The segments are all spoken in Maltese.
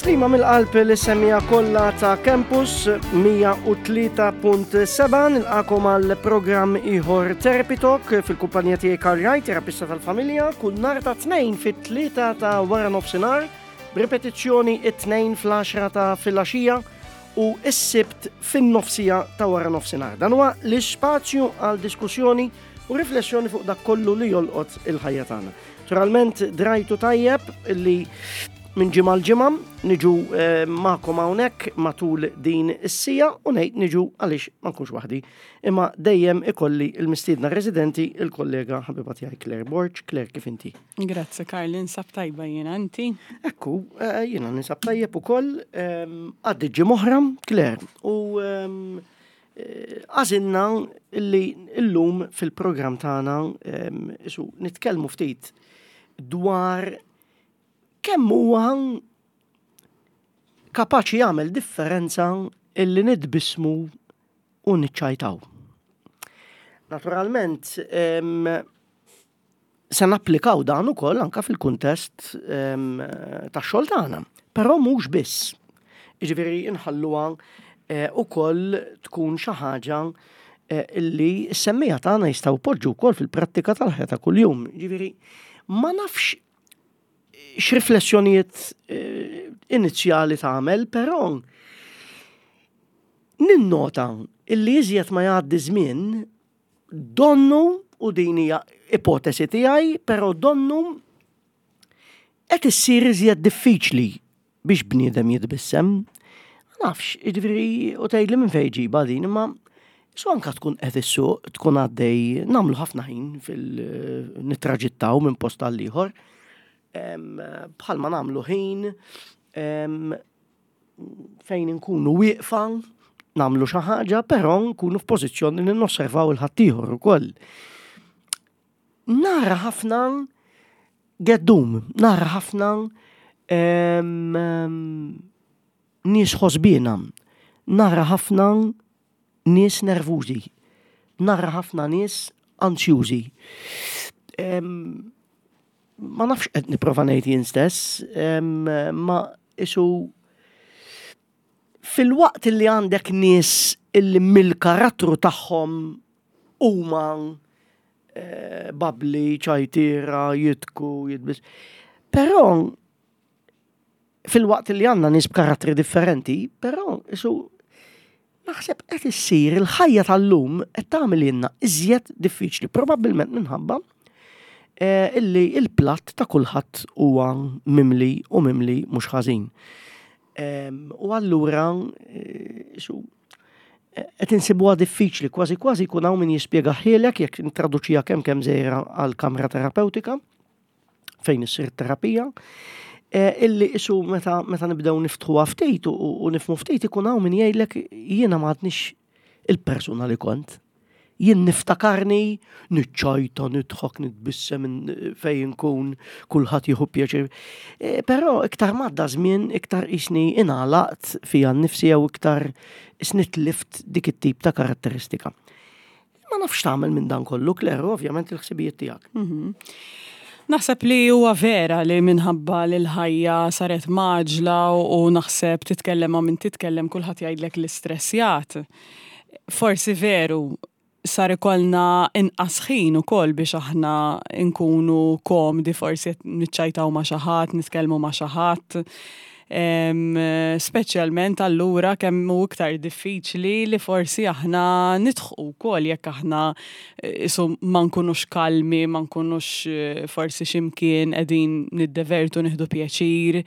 Tislima mill-qalb li semmija kollha ta' Campus 103.7 nilqakom għal programm ieħor Therapy Talk fil-kumpanija tiegħi Karl Wright, terapista tal-familja, kull nhar ta' tnejn fit-tlieta ta' wara nofsinhar, b'ripetizzjoni it-tnejn fl-10 ta' filgħaxija u s-sibt fin-nofsija ta' wara nofsinhar. Dan huwa l-ispazju għal diskussjoni u riflessjoni fuq dak kollu li jolqot il-ħajja tagħna. Naturalment drajtu tajjeb li minn ġimgħa l-ġimgħa niġu eh, magħkom hawnhekk matul din is-sija u ngħid niġu għaliex ma nkunx waħdi. Imma dejjem ikolli l-mistiedna residenti il-kollega ħabiba tiegħi Claire Borg. Claire kif inti? Grazzi Karl, ninsab tajba jiena inti. Ekku, eh, jiena ninsab tajjeb ukoll ehm, għaddi ġimgħa oħra, Claire, u ehm, eh, għażilna li llum fil-programm tagħna ehm, isu nitkellmu ftit dwar kemm huwa kapaċi jagħmel differenza illi nitbismu u niċċajtaw. Naturalment, se napplikaw dan ukoll anka fil-kuntest tax-xogħol tagħna. Però mhux biss. Jiġifieri nħalluha eh, ukoll tkun xi ħaġa eh, illi s-semmija tagħna jistgħu poġġu wkoll fil-prattika tal-ħajja ta' kuljum. Jiġifieri ma nafx x'riflessjonijiet eh, inizjali tagħmel, però ninnota illi iżjed ma jgħaddi żmien Donnu, u din hija ipotesi tiegħi, però donnu qed issir iżjed diffiċli biex bniedem jitbissem. Ma nafx, jiġifieri u tgħidli minn fejn ġibha din, imma su anka tkun qed issuq, tkun għaddej, nagħmlu ħafna ħin fil-nittraġittaw minn post għal ieħor. Bħalma nagħmlu ħin fejn inkunu wieqfa nagħmlu xi ħaġa, però nkunu f'pożizzjoni li nosservaw il-ħaddieħor ukoll. Nara ħafna geddum, nara ħafna nies ħosbina, nara ħafna nies nervużi, nara ħafna nies ansjużi. Ma nafx qed nipprova ngħid jien stess, ma isu fil-waqt li għandek nies illi mill-karattru tagħhom huma eh, babli, ċajtira, jitku, jitbis. Però Filwaqt li għandna nies b'karattri differenti, però isu naħseb qed issir il-ħajja tal-lum qed tagħmel ilna iżjed diffiċli, probabbilment minħabba eh, illi il-platt ta' kulħadd huwa mimli u mimli mhux ħażin. Ehm, u allura eh, isu eh, qed insibuha diffiċli, kważi kważi jkun hawn min jispjega ħielek jekk intraduċija kemm kemm żejra għal kamra terapeutika. fejn issir terapija, eh, illi isu meta, meta nibdew niftħuha ftit u nifmu ftit ikun hawn min jgħidlek jiena ma għadnix il-persuna li kont. Jien niftakarni, niċċajta, nidħok, nitbissem fejn nkun, kulħadd jieħu pjaċir. Eh, però iktar madda żmien, iktar isni ingħalaqt fija nnifsi jew iktar isni tlift dik it-tip ta' karatteristika. Ma nafx tagħmel minn dan kollu, Claire, ovvjament il-ħsibijiet tiegħek. Mhm. Naħseb li huwa vera li minħabba li l-ħajja saret maġla u naħseb titkellem ma' min titkellem kulħadd jgħidlek l-istressjat. Forsi veru sar ikollna inqas ħin ukoll biex aħna nkunu komdi forsi niċċajtaw ma' xi ħadd, nitkellmu ma' xi ħadd. Speċjalment allura kemm hu iktar diffiċli li forsi aħna nidħqu wkoll jekk aħna eh, isu ma nkunux kalmi, ma nkunux eh, forsi x'imkien qegħdin niddevertu nieħdu pjaċir.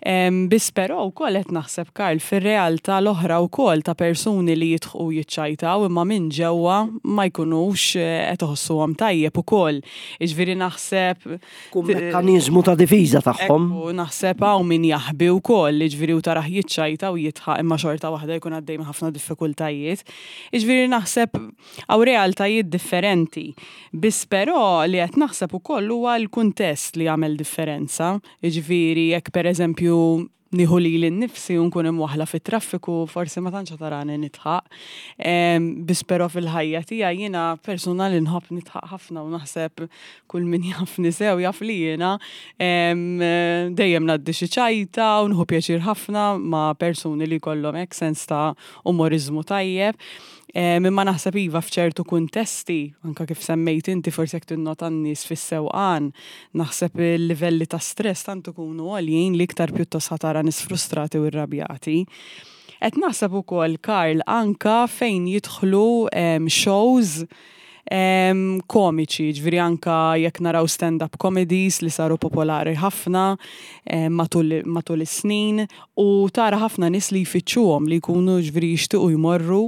Biss però wkoll qed naħseb Karl fir-realtà l-oħra wkoll ta' persuni li jidħqu jiċċajtaw imma minn ġewwa ma jkunux eh, qed iħossuhom tajjeb ukoll. Jiġifieri naħseb Tkun mekkaniżmu ta' difiża tagħhom. Ekku, naħseb hawn min jaħbi wkoll, jiġifieri u tarah jiċċajta u jidħaq imma xorta waħda jkun għaddej minn ħafna diffikultajiet. Jiġifieri naħseb hawn realtajiet differenti. Biss però li qed naħseb ukoll huwa l-kuntest li jagħmel differenza. Jiġifieri jekk pereżempju nieħu lili nnifsi u nkun imwaħħla fit-traffiku forsi ma tantx tarani nidħaq. Biss però fil-ħajja tiegħi jiena persuna li nħobb nidħaq ħafna u naħseb kull min jafni sew jaf li jiena dejjem ngħaddi xi ċajta u nħu pjaċir ħafna ma' persuni li jkollhom hekk sens ta' umoriżmu tajjeb. Imma naħseb iva f'ċertu kuntesti, anka kif semmejt inti forsi jekk tinnota n-nies fis-sewqan, naħseb il-livelli ta' stress tant ikunu għoljin li iktar pjuttost ħa tara nies frustrati u rrabjati. Qed naħseb ukoll, Karl, anka fejn jidħlu shows komiċi, ġifieri anka jekk naraw stand-up comedies li saru popolari ħafna matul, matul is-snin u tara ħafna nies li jfittxuhom li jkunu ġifieri jixtiequ jmorru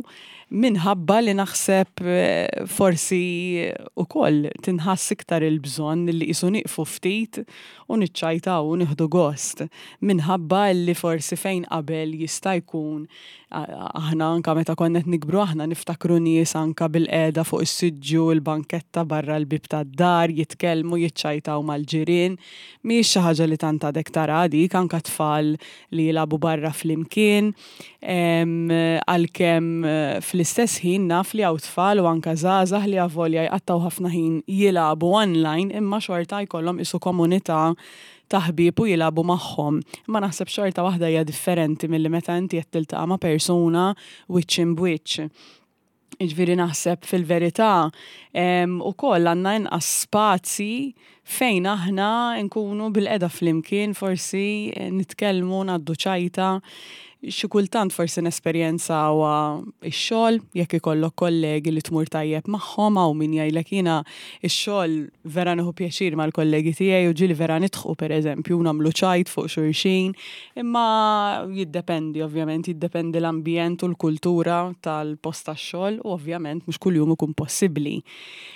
minħabba li naħseb eh, forsi ukoll tinħass iktar il-bżonn li qisu nieqfu ftit u niċċajtaw u nieħdu gost minħabba li forsi fejn qabel jista' jkun Aħna anka meta konna qed nikbru aħna niftakru nies anka bil-qiegħda fuq is-siġġu, il-banketta barra l-bieb tad-dar, jitkellmu, jiċċajtaw mal-ġirien. Mhijiex xi ħaġa li tant għadek tara dik, anka tfal li jilagħbu barra flimkien. Għalkemm fl-istess ħin naf li hawn tfal u anka żgħażagħ li avolja jqattgħu ħafna ħin jilagħbu online imma xorta jkollhom qisu komunità ta' ħbieb u jilagħbu magħhom. Imma naħseb xorta waħda hija differenti milli meta inti qed tiltaqa' ma' persuna wiċċ imb'wiċċ. Jiġifieri naħseb fil-verità ukoll għandna inqas spazji fejn aħna nkunu bilqiegħda flimkien forsi nitkellmu, ngħaddu ċajta. Xi kultant forsi nesperjenzawha x-xogħol, jekk ikollok kollegi li tmur tajjeb magħhom, hawn min jgħidlek jiena x-xogħol vera nieħu pjaċir mal-kollegi tiegħi u ġieli vera nidħqu pereżempju u nagħmlu ċajt fuq xulxin, imma jiddependi ovvjament, jiddependi l-ambjent u l-kultura tal-post tax-xogħol u ovvjament mhux kuljum ikun possibbli.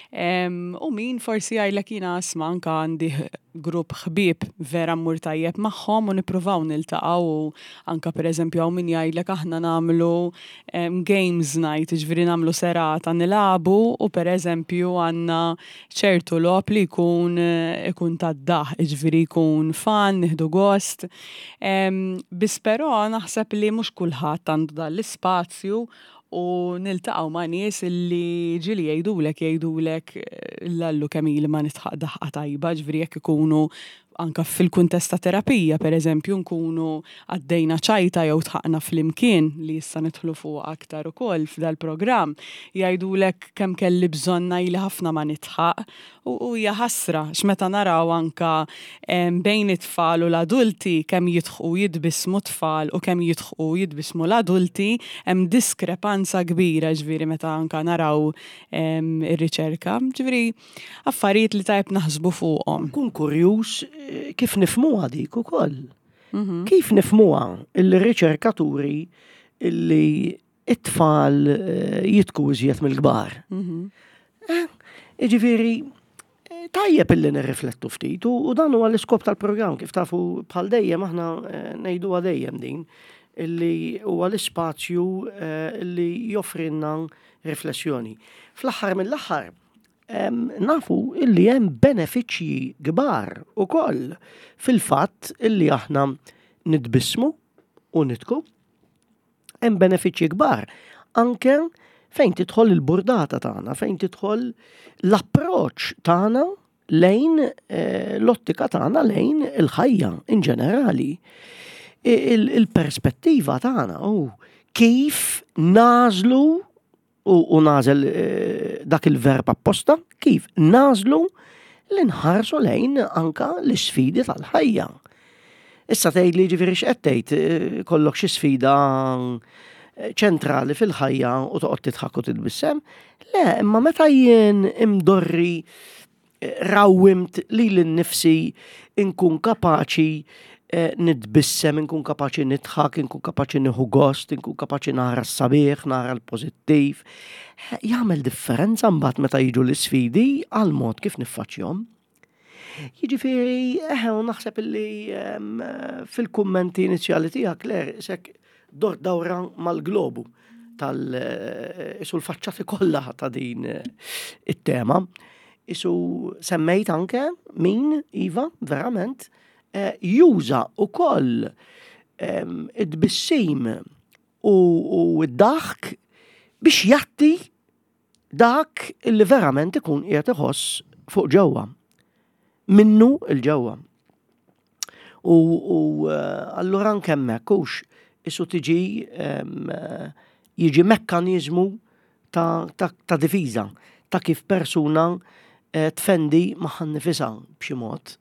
U min forsi jgħidlek jiena isma' anke għandi grupp ħbieb vera mmur tajjeb magħhom u nippruvaw niltaqgħu u anke pereżempju hawn min jgħidlek aħna nagħmlu games night, jiġifieri nagħmlu serata nilagħbu u pereżempju għandna ċertu logħob li jkun ikun tad-daħq, jiġifieri jkun fun, nieħdu gost. Biss però naħseb li mhux kulħadd għandu dan l-ispazju u niltaqgħu ma' nies illi ġieli jgħidulek jgħidulek l-allu kemm ili ma nidħaq daħqa tajba, ġifieri jekk ikunu anka fil-kuntest ta' terapija, per eżempju, nkunu għaddejna ċajta jew dħaqna flimkien li issa nidħlu fuqha aktar ukoll f'dal-programm, jgħidulek kemm kelli bżonn ili ħafna ma nidħaq U hija ħasra x'meta naraw anka bejn it-tfal u l-adulti kemm jidħqu u jitbissmu t-tfal u kemm jidħqu u jitbissmu l-adulti hemm diskrepanza kbira ġifieri meta anka naraw ir-riċerka. Ġifieri affarijiet li tajjeb naħsbu fuqhom. Nkun kurjuż kif nifhmuha dik ukoll. Kif nifhmuha il-riċerkaturi illi it-tfal eh, jitku iżjed mill-kbar. Mhm. Eh, jiġifieri, eh, tajjeb illi nirriflettu ftit u dan huwa l-iskop tal-programm kif tafu bħal dejjem aħna ngħiduha dejjem din illi huwa l-ispazju illi joffrinna riflessjoni. Fl-aħħar mill-aħħar nafu illi hemm benefiċċji kbar ukoll fil-fatt illi aħna nitbissmu u nitku Hemm benefiċċji kbar anke fejn tidħol il-burdata tagħna, fejn tidħol l-approċċ tagħna lejn eh, l-ottika tagħna lejn il-ħajja in ġenerali. Il-perspettiva tagħna u kif nażlu u nagħżel eh, dak il-verb apposta, kif nagħżlu li nħarsu lejn anka l-isfidi tal-ħajja. Issa tgħid li ġifieri x'qed tgħid eh, kollok xi sfida eh, ċentrali fil-ħajja u toqgħod tidħak u titbissem. Le, imma meta jien imdorri rawwimt lili nnifsi nkun kapaċi eh, nitbissem, nkun kapaċi nidħak, nkun kapaċi nieħu gost, nkun kapaċi nara s-sabiħ, nara l-pożittiv. Eh, jagħmel differenza mbagħad meta jiġu l-isfidi għal mod kif niffaċċjhom. Jiġifieri, eħe, u naħseb illi ehm, fil-kummenti inizjali tiegħek, Claire, isek dort dawra mal-globu tal eh, isu l-faċċati kollha ta' din eh, it-tema. Isu semmejt anke min, Iva, verament, eh, juża ukoll Id-tbissim u d-daħk biex jatti dak li verament ikun qiegħed iħoss fuq ġewwa. Minnu il-ġewwa. U, u eh, allura anke hemmhekk hux isu tiġi jiġi mekkaniżmu ta', ta, ta difiża ta' kif persuna eh, tfendi magħha nnifisha b'xi mod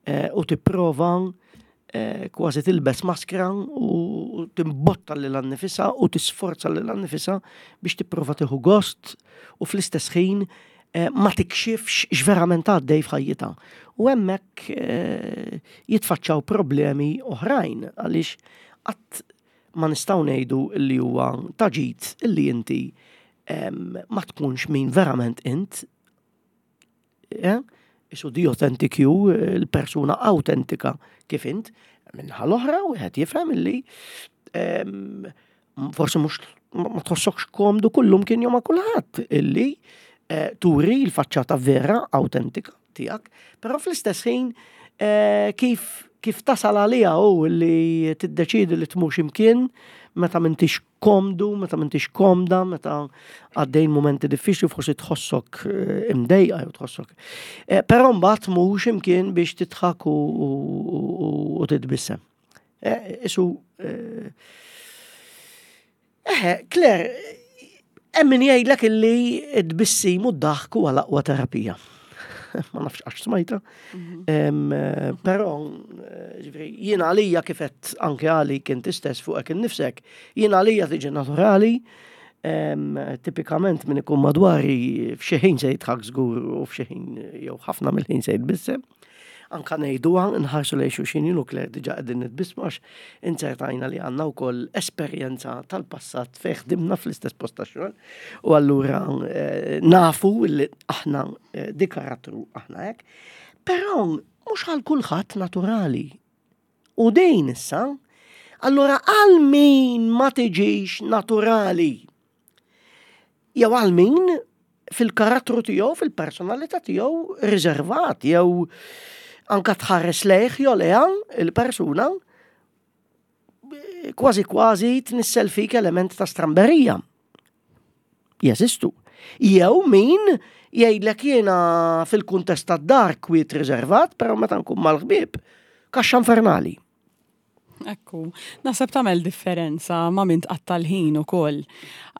eh, u tipprova eh, kważi tilbes maskra u timbotta lil annifisha u tisforza lil annifisha biex tipprova tieħu gost u fl-istess ħin eh, ma tikxifx x'verament għaddej f'ħajjitha. U hemmhekk eh, jitfaċċaw problemi oħrajn għaliex qatt ma nistgħu ngħidu li huwa ta' ġid illi inti ma tkunx min verament int Eh? Isu di authentic you, il-persuna autentika kif int, minnaħa l-oħra wieħed jifhem illi ehm, forsi mhux ma tħossokx komdu kullum kien jom ma' kulħadd illi eh, turi l-faċċata vera autentika tiegħek, però fl-istess ħin eh, kif kif tasal għaliha u li tiddeċidi li tmur x'imkien meta m'intix komdu, meta m'intix komda, meta għaddejn momenti diffiċli forsi tħossok eh, imdejqa jew tħossok. Eh, però mbagħad mhux imkien biex tidħak u titbissem. Eh, isu Eħe, Claire, hemm min jgħidlek illi t-tbissim u d-daħk huwa l-aqwa terapija. Ma nafx għax smajta. Mhm. Eh, però, eh, ġifieri, jiena għalija kifet anke għalik inti stess fuqek innifsek, jiena għalija tiġi naturali, tipikament min ikun madwari f'xi ħin se jidħak żgur u f'xi ħin jew ħafna mill-ħin se jitbissem. Anka ngħiduha, nħarsu lejn xulxin jien u Claire diġà qegħdin nitbissmu għax inzertajna li għandna wkoll esperjenza tal-passat fejn ħdimna fl-istess post tax-xogħol u allura eh, nafu li aħna eh, di karattru aħna hekk. Però mhux għal kulħadd naturali. U din issa, allura għal min ma tiġix naturali Jew għal min fil-karattru tiegħu, fil-personalità tiegħu riservat jew anka tħares lejh jew leha il-persuna kważi kważi tnissel fik element ta' stramberija. Jeżistu. Jew min jgħidlek jiena fil-kuntest tad-dar kwiet riservat, però meta nkun mal-ħbieb, kaxxa infernali. Ekku, naħseb tagħmel differenza ma' min tqatta' l-ħin ukoll.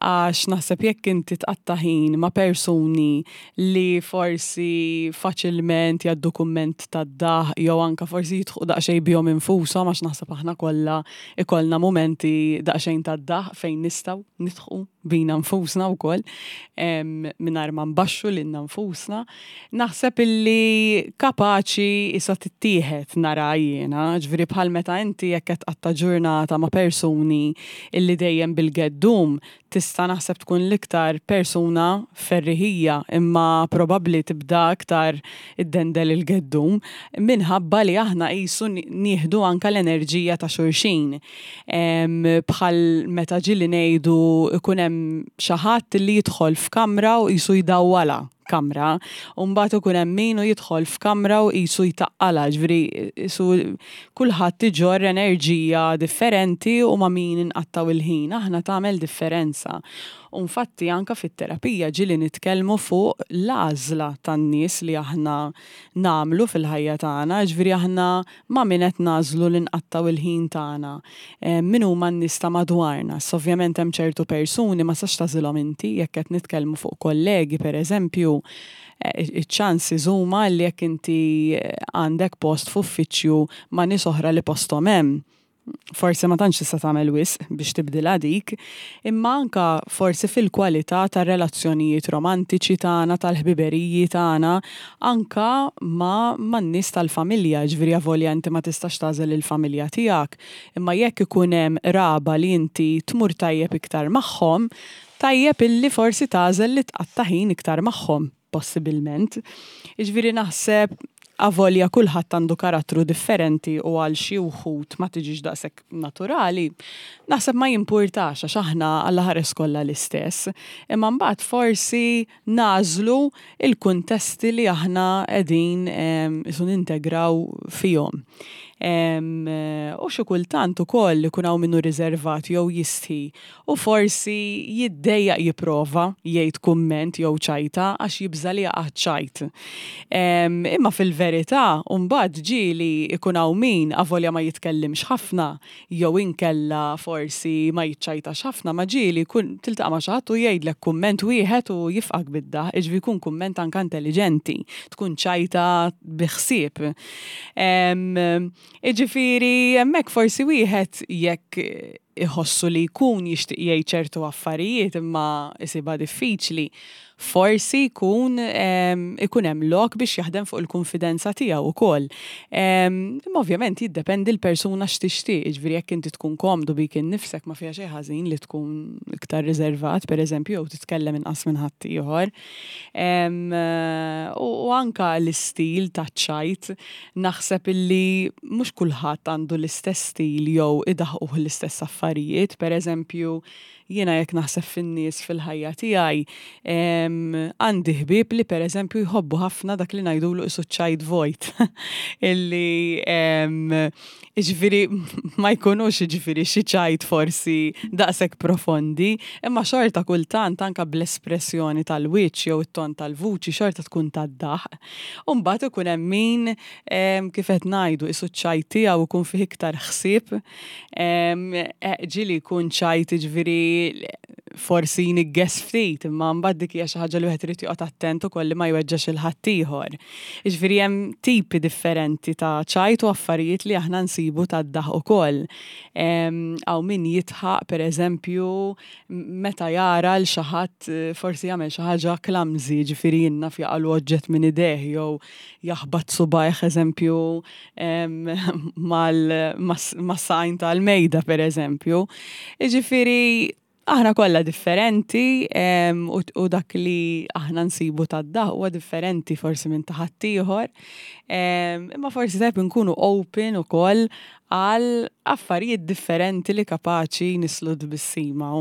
Għax naħseb jekk inti tqatta' ħin ma' persuni li forsi faċilment jgħaddu kumment tad-daħq jew anke forsi jidħqu daqsxejn bihom infushom għax naħseb aħna kollha ikollna mumenti daqsxejn tad-daħq fejn nistgħu nidħqu bina nfusna wkoll mingħajr ma nbaxxu lilna nfusna. Naħseb illi kapaċi issa tittieħed nara jiena, ġifieri bħal meta inti jekk qed tqatta' ġurnata ma' persuni illi dejjem bil-geddum, tista' naħseb tkun l-iktar persuna ferriħija imma probabbli tibda iktar iddendel il-geddum minħabba li aħna qisu nieħdu anke l-enerġija ta' xulxin. Bħal meta ġieli ngħidu ikun hemm xi ħadd li jidħol f'kamra u qisu jdawwalha kamra, u mbagħad ikun hemm min u jidħol f'kamra u qisu jtaqqalha, ġifieri qisu kulħadd iġorr enerġija differenti u ma' min inqattgħu il-ħin aħna tagħmel differenza. U nfatti anke fit-terapija ġieli nitkellmu fuq l-għażla tan-nies li aħna nagħmlu fil-ħajja tagħna, ġifieri aħna ma' min qed nagħżlu li nqattgħu l-ħin tagħna, min huma n-nies ta' madwarna. Issa ovvjament hemm ċertu persuni ma tistax tagħżilhom inti, jekk qed nitkellmu fuq kollegi pereżempju, iċ-chances huma li jekk inti għandek post f'uffiċċju ma' nies oħra li posthom hemm, forsi ma tantx tista' tagħmel wisq biex tibdilha dik, imma anke forsi fil-kwalità tar-relazzjonijiet romantiċi tagħna, tal-ħbiberiji tagħna, anke ma' man-nies tal-familja, jiġifieri avolja inti ma tistax tagħżel il-familja tiegħek, imma jekk ikun hemm qraba li inti tmur tajjeb iktar magħhom, tajjeb illi forsi tagħżel li tqatta' ħin iktar magħhom. possibilment. Jiġifieri naħseb avolja kulħadd għandu karattru differenti u għal xi wħud ma tiġix daqshekk naturali, naħseb ma jimpurtax għax aħna Alla ħares kollha l-istess. Imma mbagħad forsi nagħżlu l-kuntesti li aħna qegħdin qisu nintegraw fihom. U xi kultant ukoll ikun hawn min hu riservat jew jistħi u forsi jiddejjaq jipprova jgħid kumment jew ċajta għax jibża' li jaqa' ċ-ċajt. Imma fil-verità mbagħad ġieli jkun hawn min avolja ma jitkellimx ħafna jew inkella forsi ma jiċċajtax ħafna ma ġieli jkun tiltaqa' ma' xi ħadd u jgħidlek kumment wieħed u jifqgħek bid-daħq, jiġifieri jkun kumment anke intelliġenti, tkun ċajta bi ħsieb. Jiġifieri hemmhekk forsi wieħed jekk iħossu li jkun jixtieq jgħid ċertu affarijiet imma jsibha diffiċli, forsi jkun ikun hemm lok biex jaħdem fuq il-kunfidenza tiegħu wkoll. Imma ovvjament jiddependi l-persuna x'tixtieq, jiġifieri jekk inti tkun komdu bik innifsek ma fiha xejn ħażin li tkun iktar riservat pereżempju jew titkellem inqas minn ħaddieħor. U anka l-istil taċ-ċajt naħseb illi mhux kulħadd għandu l-istess stil jew idaħquh l-istess affarijiet, pereżempju Jiena jekk naħseb fin-nies fil-ħajja tiegħi, għandi ħbieb li pereżempju jħobbu ħafna dak li ngħidulu qisu ċajt vojt. Illi jiġifieri ma jkunux jiġifieri xi ċajt forsi daqshekk profondi, imma xorta kultant anke bl-espressjoni tal-wiċċ jew it-ton tal-vuċi xorta tkun tad-daħq. U mbagħad ikun hemm min kif qed ngħidu qisu ċ-ċajt tiegħu jkun fih iktar ħsieb Ġieli jkun ċajt jiġifieri forsi jnigges ftit, imma mbagħad dik hija xi ħaġa li wieħed irid joqgħod attent ukoll li ma jweġġax il ħaddieħor. Jiġifieri hemm tipi differenti ta' ċajt u affarijiet li aħna nsibu tad-daħq ukoll. Hawn min jidħaq pereżempju meta jara l xi ħadd forsi jagħmel xi ħaġa clumsy, jiġifieri jien naf jaqalu oġġett minn idejh jew jaħbat subgħajh eżempju mal-sajn tal-mejda per eżempju. Iġifiri, aħna kollha differenti u dak li aħna nsibu tad-daħ huwa differenti forsi minn ta' ħaddieħor. Imma forsi tajb nkunu open ukoll għal affarijiet differenti li kapaċi nislu tbissima.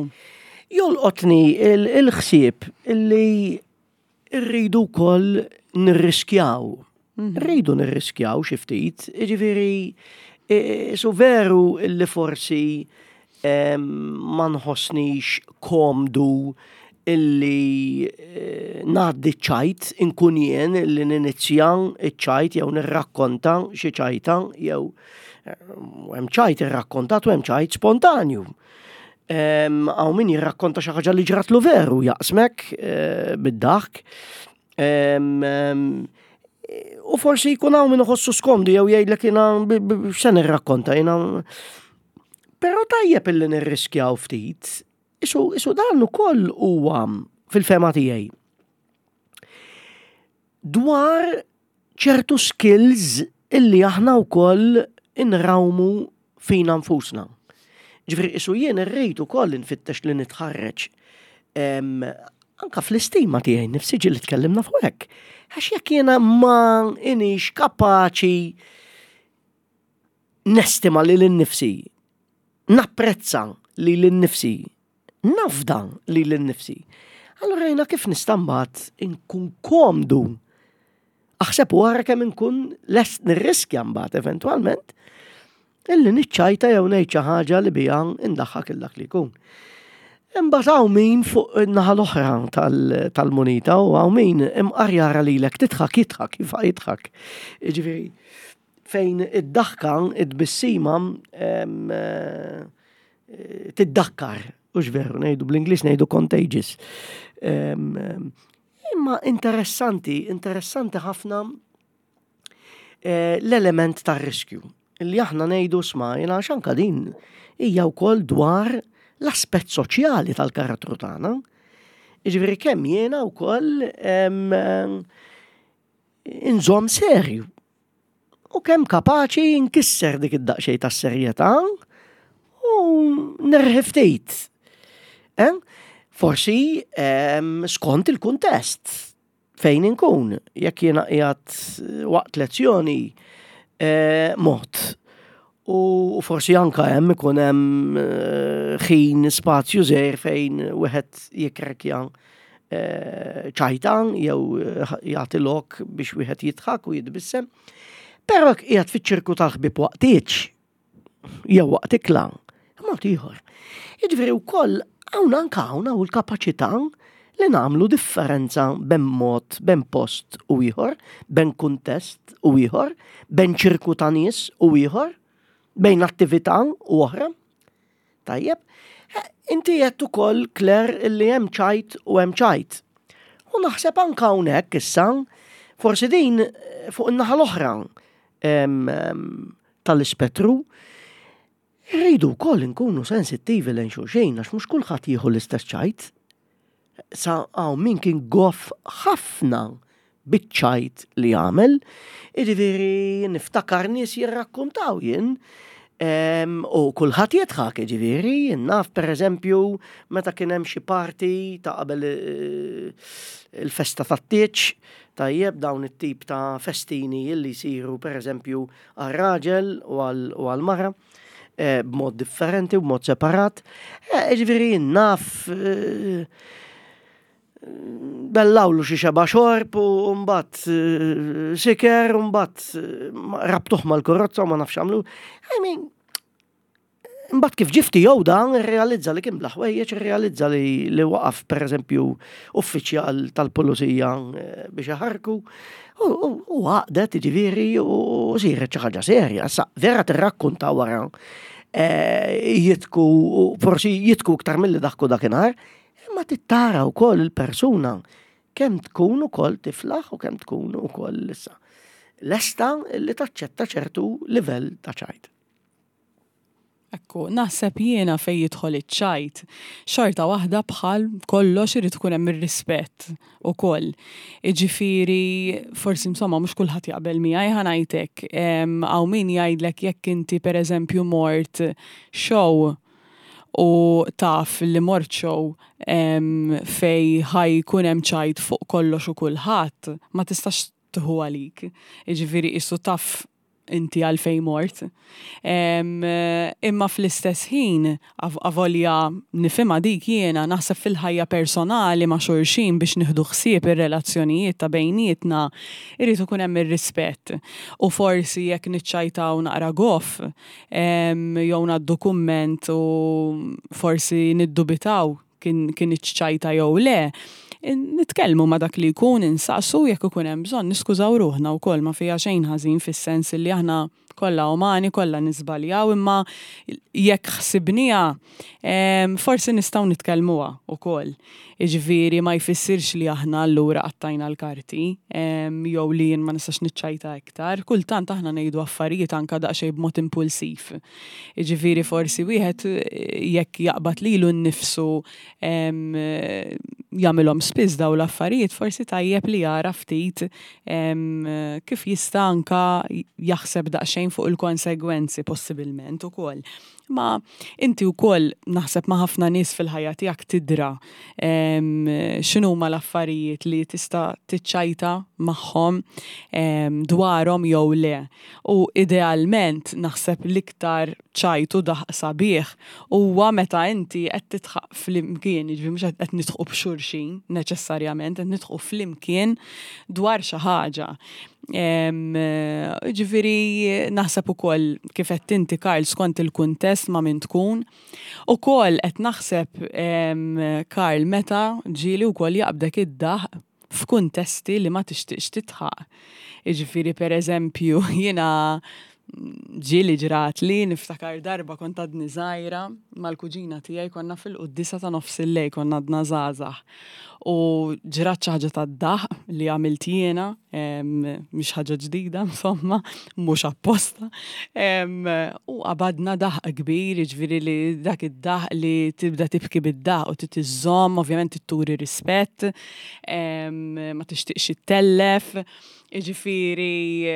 Jolqotni il-ħsieb illi Irridu wkoll nirriskjaw. Rridu nirriskjaw xi ftit, jiġifieri su veru li forsi ma nħossnix komdu illi eh, ngħaddi ċajt inkun jien li ninizja ċ-ċajt jew nirrakkonta xi ċajta jew eh, hemm ċajt irrakkontat u hemm ċajt spontanju. Hawn min jirrakkonta xi ħaġa li ġratlu veru jaqsmek eh, bid-daħk. U forsi jkun hawn min iħossu skomdu jew jgħidlek jiena x'se nirrakkonta jiena. Però tajjeb illi nirriskjaw ftit. Isu, isu dan ukoll huwa fil-fema tiegħi. Dwar ċertu skills illi aħna wkoll inrawmu fina nfusna. Ġifieri isu jien irrid ukoll infittex li nitħarreġ anka fl-istima tiegħi nifsi ġieli tkellimna fuq hekk. Għax jekk jiena ma inix kapaċi nestima lil innifsi, napprezza lil innifsi, nafda lil innifsi. Allura jiena kif nista' mbagħad inkun komdu Aħseb u ara kemm inkun lest nirriskja mbagħad eventwalment illi niċċajta jew ngħid xi ħaġa li biha indaħħak il dak li jkun. Imbagħad hawn min fuq in-naħa l-oħra tal-munita u hawn min imqar jara lilek tidħak jidħak jifqa' jidħak. Jiġifieri fejn id-daħka, id-tbissima eh, tiddakkar, hux veru ngħidu bl-Ingliż ngħidu contagious. Imma interessanti, interessanti ħafna eh, l-element tar-riskju. Li aħna ngħidu sma, jena anka din hija wkoll dwar l-aspett soċjali tal-karattru tagħna. Jiġifieri kemm jiena wkoll inżomm serju. U kemm kapaċi nkisser dik id-daqsxejn tas-serjetà u nerħi ftit. Eh? Forsi skont il-kuntest fejn inkun, jekk jiena qiegħed waqt lezzjoni eh, mod. U forsi anka hemm ikun hemm eh, ħin spazju żgħir fejn wieħed jikrekja eh, ċajta jew eh, jagħti lok biex wieħed jidħak u jitbissem. Però jekk qiegħed fiċ-ċirku tal-ħbieb waqt tieġ, jew waqt ikla, mod ieħor. Jiġifieri wkoll hawn anke hawn hawn il-kapaċità li nagħmlu differenza bejn mod, bejn post u ieħor, bejn kuntest u ieħor, bejn ċirku ta' nies u ieħor, bejn attività u oħra. Tajjeb, eh, inti qed ukoll Claire illi hemm ċajt u hemm ċajt. U naħseb anke hawnhekk issa, forsi din eh, fuq in-naħa l-oħra tal-ispettru, irridu wkoll inkunu sensittivi lejn xulxin għax mhux kulħadd jieħu l-istess ċajt. Sa hawn min kien goff ħafna biċ-ċajt li għamel, jiġifieri niftakar nies jirrakkuntaw jien u kulħadd jidħak, jiġifieri jien naf pereżempju meta kien hemm xi party ta' qabel eh, il-festa tat-tieġ, tajjeb dawn it-tip ta' festini li jsiru pereżempju għar-raġel u għall-mara eh, b'mod differenti u b'mod separat. Eh, jiġifieri jien naf bellawlu xi xeba xorb u mbagħad eh, siker u mbagħad eh, rabtuh mal-karozza u ma nafx għamlu. I mean, mbagħad kif ġifti jew dan irrealizza li kien bla ħwejjeġ, irrealizza li, li waqaf pereżempju uffiċjal tal-pulizija eh, biex iħarku u għaqdet jiġifieri u siret xi ħaġa serja. Sa vera tirrakkunta wara jitku, forsi jitku iktar milli daħku dakinhar, Imma trid tara wkoll il-persuna kemm tkun ukoll tiflaħ u kemm tkun ukoll issa lesta li taċċetta ċertu livell ta' ċajt. Ekku, naħseb jiena fejn jidħol iċ-ċajt, xorta waħda bħal kollox irid ikun hemm ir-rispett ukoll. Jiġifieri forsi insomma mhux kulħadd jaqbel miegħi ħa ngħid hekk. Hawn min jgħidlek jekk inti pereżempju mort show u taf li mort show fej ħa jkun hemm ċajt fuq kollox u kulħadd, ma tistax tieħu għalik. Jiġifieri qisu taf inti għalfejn mort. Imma fl-istess ħin, avolja nifhimha dik jiena, naħseb fil-ħajja personali ma' xulxin biex nieħdu ħsieb ir-relazzjonijiet ta' bejnietna, irid ikun hemm ir-rispett. U forsi jekk niċċajtaw naqra goff, jew ngħaddu kumment u forsi niddubitaw kien kinitx ċajta jew le, nitkellmu ma' dak li jkun, insaqsu jekk ikun hemm bżonn niskużaw ruħna wkoll ma fiha xejn ħażin fis-sens li aħna kollha umani, kollha niżbaljaw imma jekk ħsibniha forsi nistgħu nitkellmuha wkoll. Jiġifieri ma jfissirx li aħna allura qattajna l-karti jew li jien ma nistax niċċajta iktar. Kultant aħna ngħidu affarijiet anke daqsxejn b'mod impulsiv. Jiġifieri forsi wieħed jekk jaqbad lilu nnifsu jagħmilhom spiss dawn l-affarijiet, forsi tajjeb li jara ftit kif jista' anke jaħseb daqsxejn fuq il-konsegwenzi possibilment ukoll. Ma inti wkoll naħseb ma' ħafna nies fil-ħajja tiegħek tidra x'inhuma l-affarijiet li tista' tiċċajta magħhom dwarhom jew le. U idealment naħseb l-iktar ċajt u daħq sabiħ huwa meta inti qed tidħaq flimkien, jiġifieri mhux qed nidħqu b'xulxin neċessarjament, qed nidħqu flimkien dwar xi ħaġa. Ġifieri naħseb ukoll kif qed inti Karl skont il-kuntest ma' min tkun. Ukoll qed naħseb Karl meta ġieli wkoll jaqbdek id-daħq f'kuntesti li ma tixtieqx tidħaq. Jiġifieri pereżempju jiena ġieli ġratli niftakar darba kont għadni żgħira mal-kuġina tiegħi konna fil-quddiesa ta' nofs il-lejl konna għadna żgħażagħ. U ġrat xi ħaġa tad-daħq li għamilt jiena, mhix ħaġa ġdida insomma, mhux apposta. U qabadna daħq kbir, jiġifieri li dak id-daħq li tibda tibki bid-daħq u trid iżżomm, ovvjament trid turi rispett, ma tixtieqx ittellef. Jiġifieri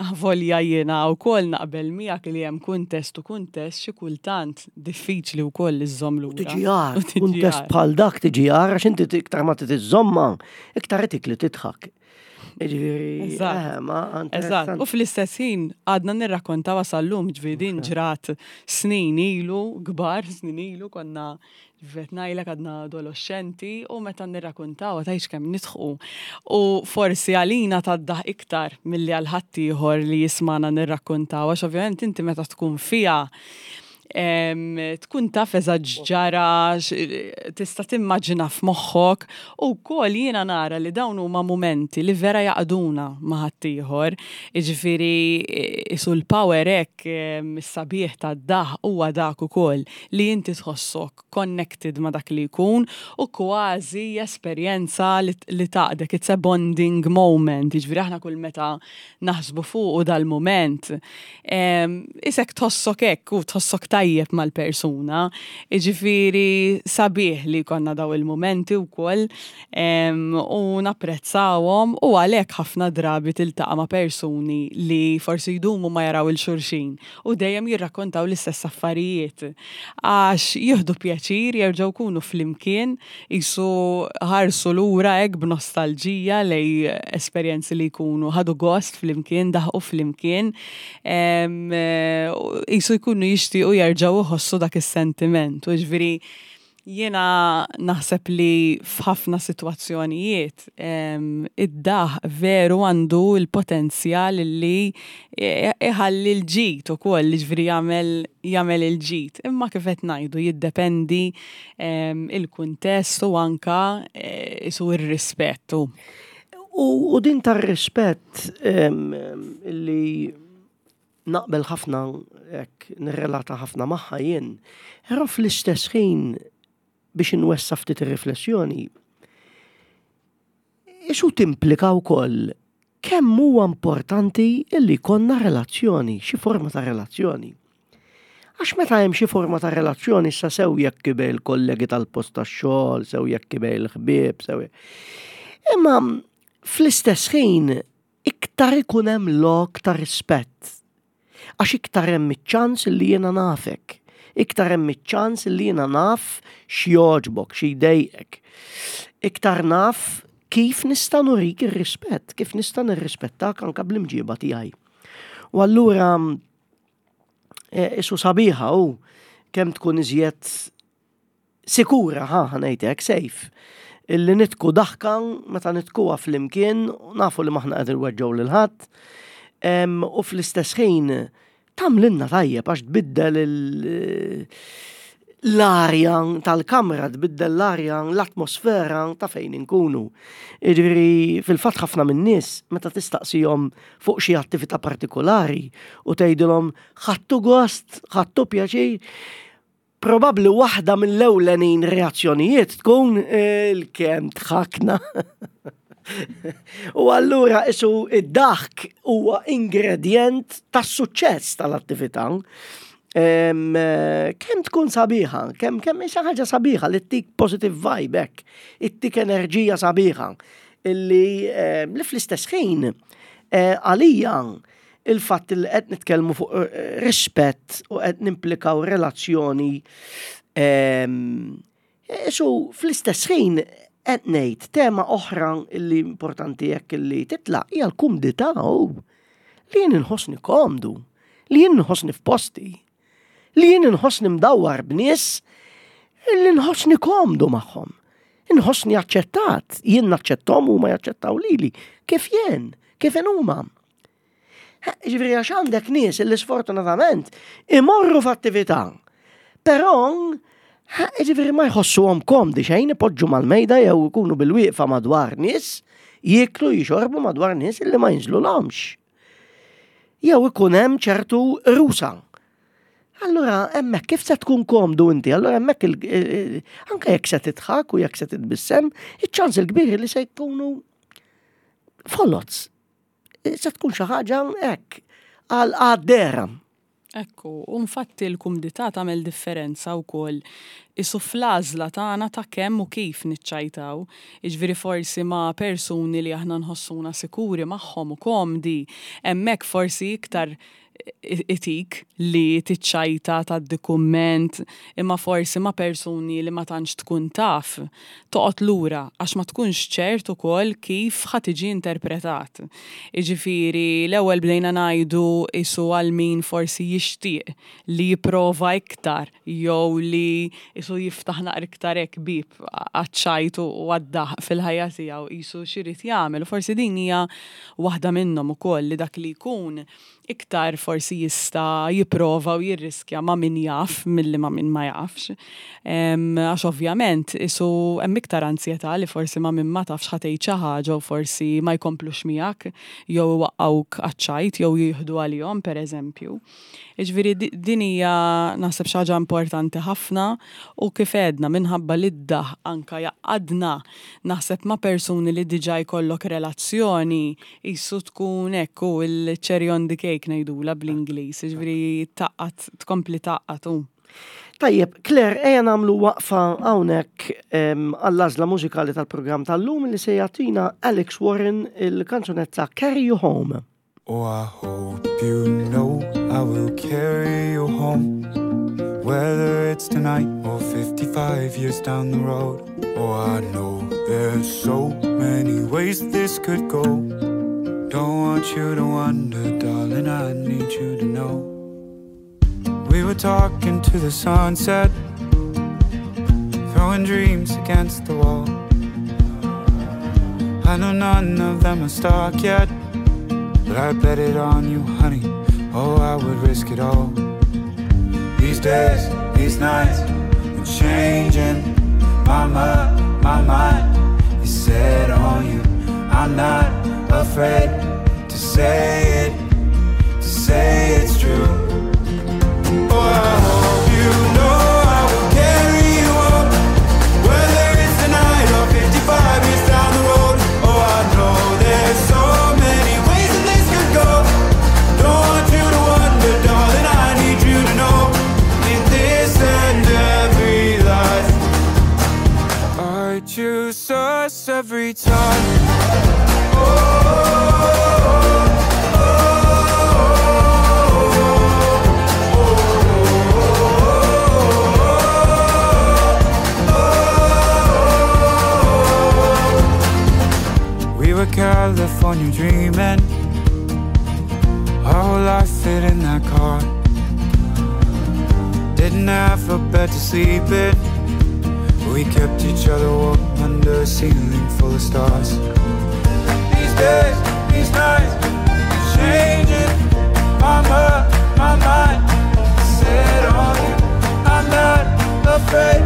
avolja jiena wkoll naqbel miegħek li hemm kuntest u kuntest xi kultant diffiċli wkoll li żżomm lura. Tiġi għar, kuntest bħal dak tiġi għar għax inti iktar ma trid iżżommha, iktar itik li tidħak. Ġifieri, eh, ma Eżatt. U fl-istess ħin għadna nirrakkontaw sal-lum ġifieri din ġrat snin ilu, kbar snin ilu konna ġifieri ngħidlek għadna adolescenti u meta nirrakkontaw tgħidx kemm nidħqu. U forsi għalina taddaħ iktar milli għal ħaddieħor li jismana nirrakkontaw għax ovvjament inti meta tkun fiha tkun taf eżatt ġara, tista' timmaġina f'moħħok u wkoll jiena nara li dawn huma mumenti li vera jaqduna ma' ħaddieħor. Jiġifieri isu l-power hekk is-sabiħ tad-daħq huwa dak ukoll li inti tħossok connected ma' dak li jkun u kważi esperjenza li tgħaqqdek, it's a bonding moment. Jiġifieri aħna kull meta naħsbu fuq dal-moment, isek tħossok hekk u tħossok tajjeb mal-persuna. Jiġifieri sabiħ li jkollna daw il-momenti wkoll u napprezzawhom u għalhekk ħafna drabi tiltaqa' ma' persuni li forsi jdumu ma jaraw 'il xulxin u dejjem jirrakkontaw l-istess affarijiet. Għax jieħdu pjaċir jerġgħu jkunu flimkien qisu ħarsu lura hekk b'nostalġija lejn esperjenzi li jkunu ħadu gost flimkien, daħqu flimkien, qisu jkunu jixtiequ jerġgħu jħossu dak is-sentiment. U ġifieri jiena naħseb li f'ħafna sitwazzjonijiet id-daħq veru għandu l-potenzjal li iħalli l-ġid ukoll, ġifieri jagħmel jagħmel il-ġid. Imma kif qed ngħidu jiddependi il-kuntest u anka isu ir-rispett. U din tar-rispett li naqbel ħafna hekk nirrelata ħafna magħha jien, però fl-istess ħin biex inwessa ftit ir-riflessjoni, isu timplika wkoll kemm huwa importanti illi jkollna relazzjoni, xi forma ta' relazzjoni. Għax meta hemm xi forma ta' relazzjoni issa sew jekk bejn il-kollegi tal-post tax-xogħol, sew jekk bejn il-ħbieb, sew Imma fl-istess ħin iktar ikun hemm lok ta' rispett. Għax iktar hemm iċ-ċans li jiena nafek. Iktar hemm iċ-ċans li jiena naf x'jogħġbok, xi jdejqek. Iktar naf kif nista' nurik ir-rispett, kif nista' nirrispettak anka bl-imġiba tiegħi. U allura isu sabiħa u kemm tkun iżjed sikura, ħa ngħidlek, safe. Illi nidħku daħka meta nidħkuha flimkien, nafu li m'aħna qegħdin nweġġgħu lil ħadd. U fl-istess ħin tagħmlilna tajjeb għax tbiddel l-arja tal-kamra, tbiddel l-arja, l-atmosfera ta' fejn inkunu. Jiġifieri fil-fatt ħafna min-nies meta tistaqsihom fuq xi attività partikolari u tgħidilhom ħadtu gost, ħadtu pjaċir, probabbli waħda mill-ewlenin reazzjonijiet tkun il-kemm dħakna. U allura isu id-daħk huwa ingredient tas-suċċess tal-attività. Kemm tkun sabiħa, kemm kemm xi ħaġa sabiħa li ttik positive vibe hekk, ittik enerġija sabiħa illi li fl-istess ħin għalija il-fatt li qed nitkellmu fuq rispett u qed nimplikaw relazzjoni Isu fl-istess ħin qed ngħid tema oħra li importanti jekk li titlaq hija l-kumdità u li jien inħossni komdu, li jien inħossni f'posti, li jien inħossni mdawwar b'nies li nħossni komdu magħhom. Inħossni aċċettat, jien naċċettom u ma jaċċettaw lili. Kif jien, kif huma. Ġifieri għax għandek nies li sfortunatament imorru f'attività. Però ġifieri ma jħossuhom komdi xejn ipoġġu mal-mejda jew ikunu bil-wieqfa madwar nies, jieklu jixorbu madwar nies li ma jinżlulhomx. Jew ikun hemm ċertu rusa. Allura hemmhekk kif se tkun komdu inti? Allura hemmhekk anke jekk se tidħak u jekk se titbissem, iċ-ċans il-kbir li se jkunu foloz. Se tkun xi ħaġa hekk għal għaddera. Ekku, u infatti l-kumdità tagħmel differenza wkoll isu fl-għażla tagħna ta' kemm u kif niċċajtaw. Jiġifieri forsi ma' persuni li aħna nħossuna sikuri magħhom u komdi, hemmhekk forsi iktar itik li tiċċajta tgħaddi kumment imma forsi ma' persuni li ma tantx tkun taf toqgħod lura għax ma tkunx ċert ukoll kif ħa tiġi interpretat. Jiġifieri l-ewwel bdejna ngħidu qisu għal min forsi jixtieq li jipprova iktar jew li qisu jiftaħ naqra iktar hekk bieb għaċ-ċajt u għad-daħq fil-ħajja tiegħu qisu x'irid jagħmel u forsi din hija waħda minnhom ukoll li dak li jkun iktar forsi jista' jipprova u jirriskja ma' min jaf milli ma' min ma jafx. Għax ovvjament isu hemm iktar anzjetà li forsi ma' min ma tafx ħa tgħid xi ħaġa u forsi ma jkomplux miegħek jew iwaqqgħuk għaċ-ċajt jew jieħdu għalihom pereżempju. Jiġifieri din hija naħseb xi ħaġa importanti ħafna u kif għedna minħabba li d-daħq anke jgħaqqadna naħseb ma' persuni li diġà jkollok relazzjoni qisu tkun hekk hu l-cherry on the cake ngħidulha bl-Ingliż, jiġifieri tgħaqqad tkompli tgħaqqad hu. Tajjeb, Claire, ejja nagħmlu waqfa hawnhekk għall-għażla mużikali tal-programm tal-lum li se jagħtina Alex Warren il-kanzunetta Carry You Home. Oh, I hope you know I will carry you home Whether it's tonight or 55 years down the road Oh, I know there's so many ways this could go Don't want you to wonder, darling, I need you to know We were talking to the sunset Throwing dreams against the wall I know none of them are stuck yet But I bet it on you, honey Oh, I would risk it all These days, these nights Been changing My mind, my mind Is set on you I'm not afraid to say it To say it's true Oh, I hope you know I will carry you up Whether it's tonight or 55 years down the road Oh, I know there's so many ways that this could go Don't want you to wonder, darling, I need you to know In this and every life I choose us every time We were California dreaming Our whole life fit in that car Didn't have a bed to sleep in We kept each other warm under a ceiling full of stars These days, these nights, changing My mind, my mind set on you I'm not afraid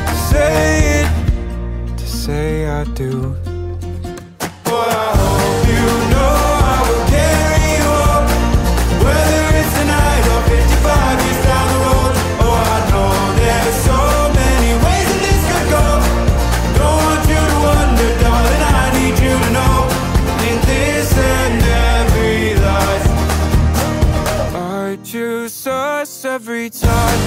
to say it To say I do Oh, I hope you know I will carry you up Whether it's tonight or 55 years down the road Oh, I know there's so many ways that this could go Don't want you to wonder, darling, I need you to know In this and every life I choose us every time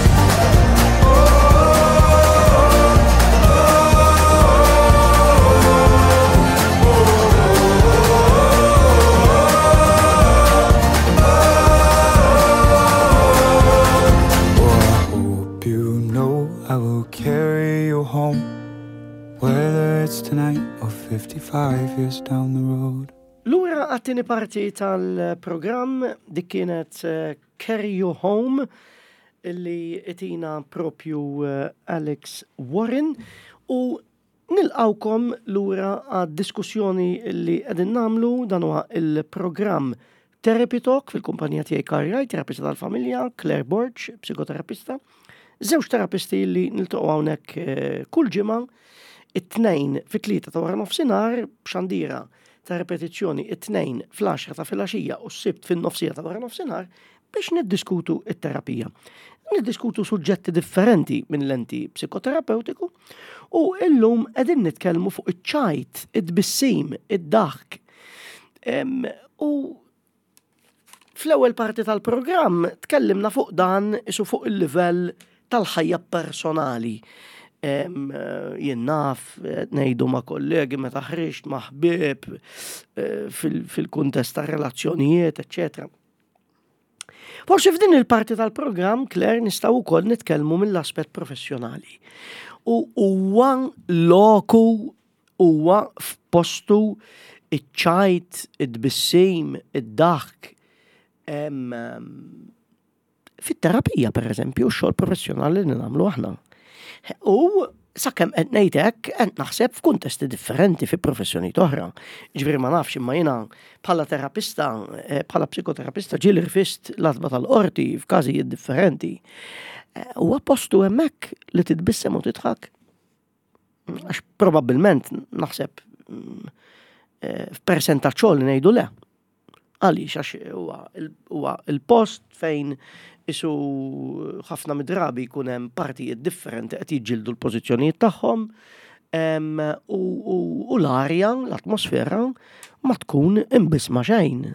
Oh, I hope you know I will carry you home Whether it's tonight or 55 years down the road Lura għat-tieni parti tal-programm dik kienet eh, Carry You Home illi itina propju eh, Alex Warren u nilqawkom lura għad-diskussjoni li qegħdin nagħmlu dan huwa il-programm Therapy Talk fil-kumpanija tiegħi Karjaj, terapista tal-familja, Claire Borg, psikoterapista. Żewġ terapisti li niltaqgħu hawnhekk eh, kull ġimgħa it-tnejn fit-tlieta ta' wara nofsinhar b'xandira ta' repetizzjoni it-tnejn fl-10 ta' filgħaxija u s-sibt fin-nofsija ta' wara nofsinhar biex niddiskutu it-terapija. Niddiskutu suġġetti differenti minn lenti psikoterapeutiku u illum qegħdin nitkellmu fuq iċ-ċajt, id-tbissim, id-daħk. U Fl-ewwel parti tal-programm tkellimna fuq dan isu fuq il-livell tal-ħajja personali. Jien naf, ngħidu ma' kollegi meta ħriġt ma' ħbieb eh, fil-kuntest ta' relazzjonijiet, eċċetera. Forsi f'din il-parti tal-programm, Claire, nistgħu wkoll nitkellmu mill-aspett professjonali. U huwa loku huwa f'postu iċ-ċajt, id-tbissim, id-daħk, fit-terapija per eżempju, xogħol professjonali li nagħmlu aħna. U sakemm qed ngħid hekk qed naħseb f'kuntesti differenti fi professjonijiet oħra. Ġifieri ma nafx imma jiena bħala terapista, eh, bħala psikoterapista ġieli rfist l-għatba tal-qorti f'każijiet differenti. Eh, huwa postu hemmhekk li titbissem u tidħak. Għax probabbilment naħseb mm, eh, f'persentaġġ li ngħidu le. Għaliex għax huwa il-post fejn isu ħafna mid-drabi jkun hemm partijiet differenti qed jiġġieldu l-pożizzjonijiet tagħhom u l-arja, l-atmosfera ma tkun imbisma xejn.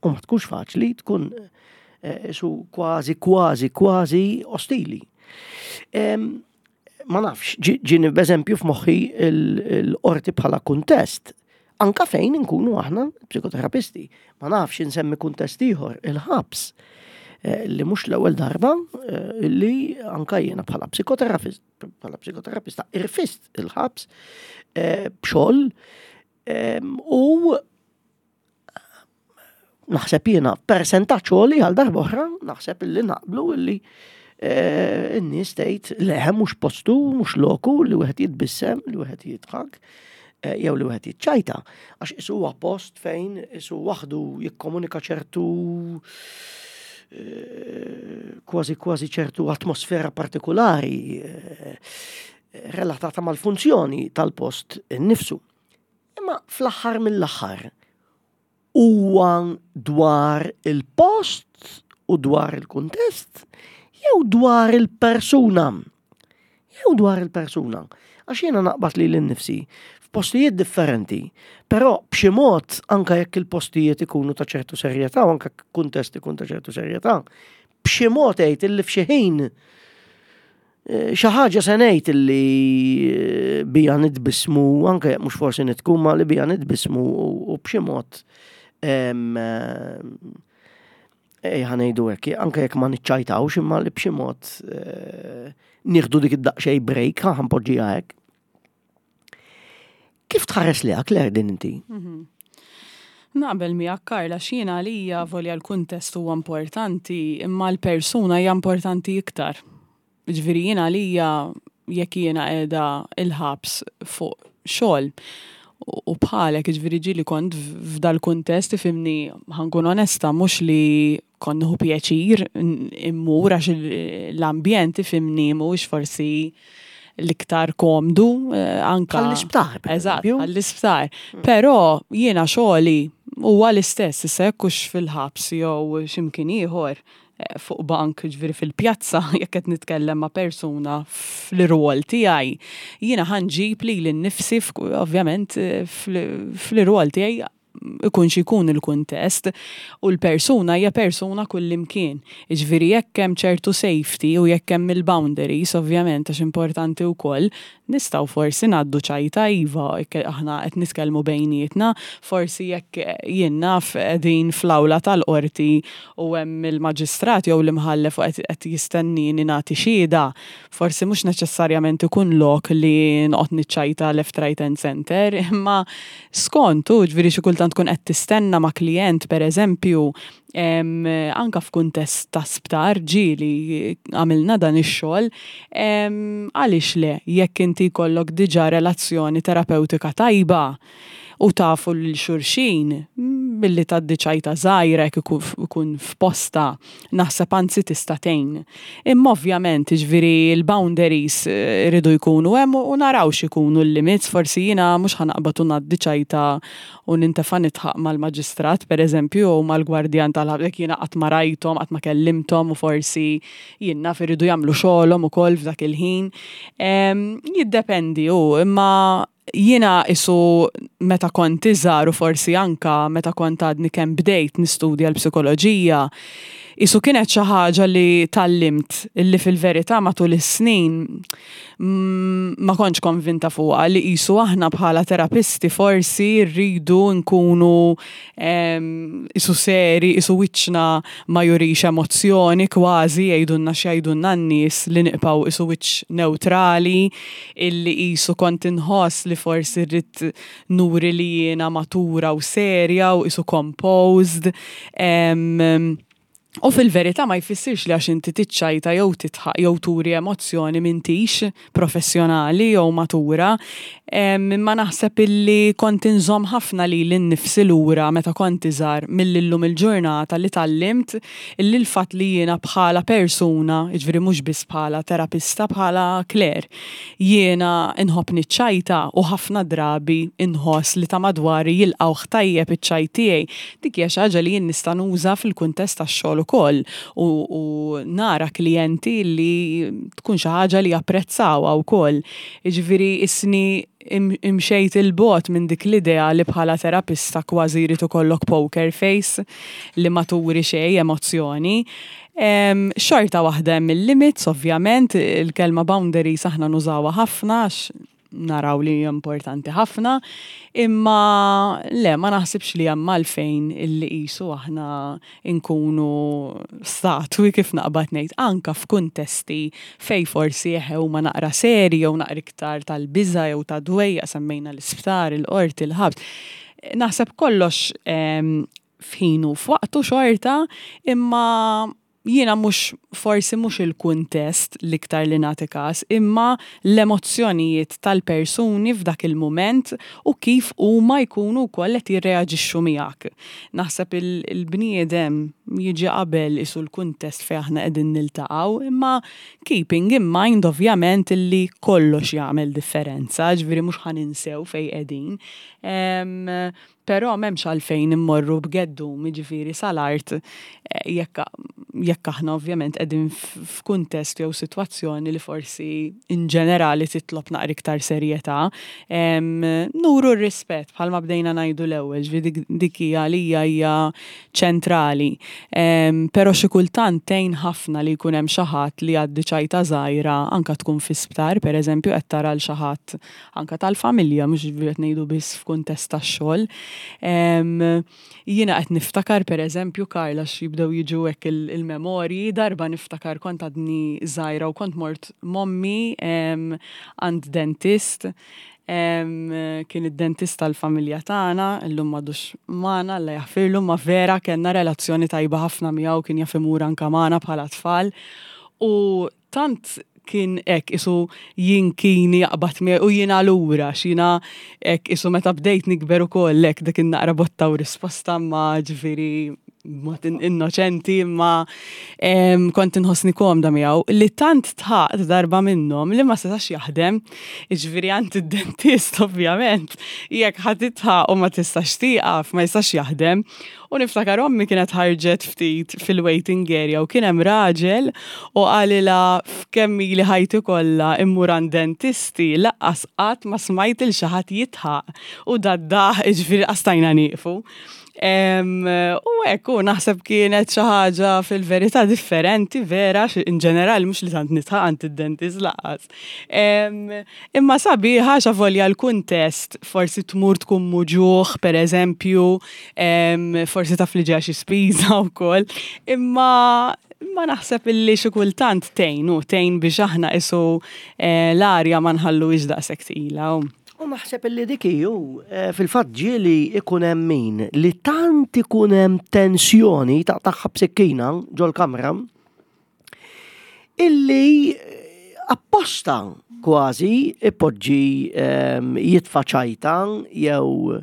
U ma tkunx faċli, tkun eh, isu kważi kważi kważi ostili. Ma nafx, ġieni b'eżempju f'moħħi l-qorti bħala kuntest. Anka fejn inkunu aħna psikoterapisti. Ma nafx insemmi kuntest ieħor, il-ħabs eh, li mhux l-ewwel darba eh, li anka jiena bħala psikoterapist bħala psikoterapista irfist il-ħabs eh, b'xogħol u naħseb jiena persentaġġ għoli għal darba oħra, naħseb illi naqblu illi eh, n-nies tgħid le mhux postu, mhux loku li wieħed jitbissem, li wieħed jidħak eh, jew li wieħed jiċċajta. Għax isu huwa post fejn isu waħdu jikkomunika ċertu eh, kważi kważi ċertu atmosfera partikolari relatata mal-funzjoni tal-post innifsu. Imma fl-aħħar mill-aħħar huwa dwar il-post u dwar il-kuntest jew dwar il-persuna. Jew dwar il-persuna. Għax jiena naqbad li l-nifsi f'postijiet differenti, però b'xi mod anka jekk il-postijiet ikunu ta' ċertu serjetà u anka kuntest ikun ta' ċertu serjetà, b'xi mod għid illi f'xi ħin eh, xi ħaġa se ngħid illi eh, bija nitbismu anke jekk mhux forsi nitku ma li bija nitbismu u b'xi mod eh, ħa ngħidu hekk, anke jekk ma niċċajtawx imma li b'xi mod nieħdu dik id-daqsxejn break ħa npoġġiha hekk. Kif tħares li Claire din inti? Mhm. Naqbel miegħek Karla x'jiena għalija volja l-kuntest huwa importanti imma l-persuna hija importanti iktar. Ġifieri jiena għalija jekk jiena qiegħda il-ħabs fuq xogħol u bħalek ġifieri ġieli kont f'dal-kuntest ifhimni ħa nkun onesta mhux li kont nieħu pjaċir immur għax l-ambjent ifhimni mhuwiex forsi l-iktar komdu eh, anka. Għall-isptar. Eżatt, għall-isptar. Mm. Però jiena xogħli huwa l-istess, issa jekk hux fil-ħabs jew x'imkien ieħor eh, fuq bank ġifieri fil-pjazza jekk qed nitkellem ma' persuna fl-irwol tiegħi, jiena ħanġib lili nnifsi ovvjament eh, fl-irwol tiegħi ikun xi jkun il-kuntest, u l-persuna hija persuna kullimkien. Jiġifieri jekk hemm ċertu safety u jekk hemm il-boundaries, ovvjament għax importanti wkoll, nistgħu forsi ngħaddu ċajta iva, jekk aħna qed nitkellmu bejnietna, forsi jekk jien naf qegħdin fl-awla tal-qorti u hemm il-maġistrat jew l-imħallef u qed jistennieni nagħti xhieda, Forsi mhux neċessarjament ikun lok li noqgħod niċċajta left, right and center, imma skont hu, ġifieri xi kultant tkun qed tistenna ma' klijent pereżempju, anke f'kuntest ta' sptar ġieli għamilna dan ix-xogħol, għaliex le jekk inti jkollok diġà relazzjoni terapewtika tajba u tafu lil xulxin, billi tgħaddi ċajta żgħira jekk ikun f'postha, naħseb anzi tista' tgħin. Imma ovvjament, jiġifieri l-boundaries iridu jkunu hemm u naraw x'ikunu l-limits, forsi jiena mhux ħa naqbad u ngħaddi ċajta u nintefa' nidħaq mal-maġistrat pereżempju jew mal-gwardjan tal-ħabs jekk jiena qatt ma rajthom, qatt ma kellimthom u forsi jien naf iridu jagħmlu xogħolhom ukoll f'dak il-ħin. Jiddependi hu, imma Jiena qisu meta kont iżgħar u forsi anka meta kont għadni kemm bdejt nistudja l-psikoloġija, Isu kienet xi ħaġa li tgħallimt illi fil-verità matul is-snin ma kontx konvinta fuqha li qisu aħna bħala terapisti forsi rridu nkunu isu seri, isu wiċċna ma jurix emozzjoni kważi jgħidulna x'jgħidulna n-nies li nibqgħu isu wiċċ newtrali illi qisu kont inħoss li forsi rrid nuri li jiena matura u serja u isu composed. U fil-verità ma jfissirx li għax inti tiċċajta jew tidħaq jew turi emozzjoni m'intix professjonali jew matura. Imma naħseb illi kont inżomm ħafna lili nnifsi lura meta kont iżgħar milli llum il-ġurnata li tgħallimt illi l-fatt li jiena bħala persuna, jiġifieri mhux biss bħala terapista, bħala Claire, Jiena nħobb niċċajta u ħafna drabi nħoss li ta' madwari jilqgħuh tajjeb iċ-ċajt tiegħi. Dik hija xi ħaġa li jien nista' nuża fil-kuntest tax-xogħol ukoll u u nara klijenti li tkun xi ħaġa li japprezzawha wkoll. Jiġifieri isni imxejt 'il bogħod minn dik l-idea li bħala terapista kważi jrid ikollok poker face li ma turi xejn emozzjoni. Xorta waħda hemm il-limits ovvjament, il-kelma boundaries aħna nużawha ħafna għax naraw li hija importanti ħafna, imma le ma naħsibx li hemm għalfejn illi qisu aħna nkunu statwi kif naqbad ngħid anke f'kuntesti fejn forsi eħe huma naqra seri jew naqra iktar tal-biża' jew ta' dwejjaq semmejna l-isptar, il-qorti, il-ħabs. Naħseb kollox f'ħinu f'waqtu xorta, imma jiena mhux forsi mhux il-kuntest l-iktar li nagħti każ, imma l-emozzjonijiet tal-persuni f'dak il-mument u kif huma jkunu wkoll qed jirreaġixxu miegħek. Naħseb il-bniedem jiġi qabel isu l-kuntest fejn aħna qegħdin niltaqgħu, imma keeping in mind ovvjament illi kollox jagħmel differenza, ġifieri mhux ħa ninsew fejn qegħdin. Però m'hemmx għalfejn immorru b'geddum, jiġifieri sal-art, jekk jekk aħna ovvjament qegħdin f'kuntest jew sitwazzjoni li forsi in ġenerali titlob naqra iktar serjetà. Nuru r-rispett bħalma bdejna ngħidu l-ewwel, ġifieri dik hija għalija hija ċentrali. Però xi kultant tgħin ħafna li jkun hemm xi ħadd li jgħaddi ċajta żgħira anke tkun fi sptar, pereżempju qed tara 'l xi ħadd anke tal-familja, mhux ġifieri qed ngħidu biss f'kuntest tax-xogħol. Jiena qed niftakar pereżempju Karl għax jibdew jiġu hekk il-memorji, darba niftakar kont għadni żgħira u kont mort m'ommi għand dentist, kien id-dentist tal-familja tagħna, illum m'għadux magħna, Alla jaħfirlu, ma vera kellna relazzjoni tajba ħafna miegħu, kien jaf imur anke magħna bħala tfal. U tant kien hekk isu jinkini jaqbad miegħi u jiena lura x'jiena hekk isu meta bdejt nikber ukoll hekk dik in-naqra botta u risposta ma ġifieri mod innoċenti imma kont inħossni komda miegħu li tant tħaqt darba minnhom li ma setax jaħdem. Jiġifieri għand id-dentist ovvjament jekk ħa titħaq u ma tistax tieqaf ma jistax jaħdem. U niftakar ommi kienet ħarġet ftit fil-waiting area u kien hemm raġel u qalilha f'kemm ili ħajti kollha immur għand dentisti laqqas qatt ma smajt il xi ħadd jidħaq u dad-daħq jiġifieri qas stajna nieqfu. U hekk u naħseb kienet xi ħaġa fil-verità differenti vera in ġenerali mhux li tant nidħaq għand id-dentist laqqas. Imma sabiħa għax avolja l-kuntest forsi tmur tkun muġugħ pereżempju, forsi taf li ġejja xi spiża wkoll, imma imma naħseb illi xi kultant tgħin u tgħin biex aħna qisu eh, l-arja ma nħalluhiex daqshekk tqila. U naħseb illi dik hi hu, eh, fil-fatt ġieli ikun hemm min li tant ikun hemm tensjoni taqtagħha b'sikkina ġol-kamra illi apposta kważi ipoġġi ehm, jitfa' ċajta jew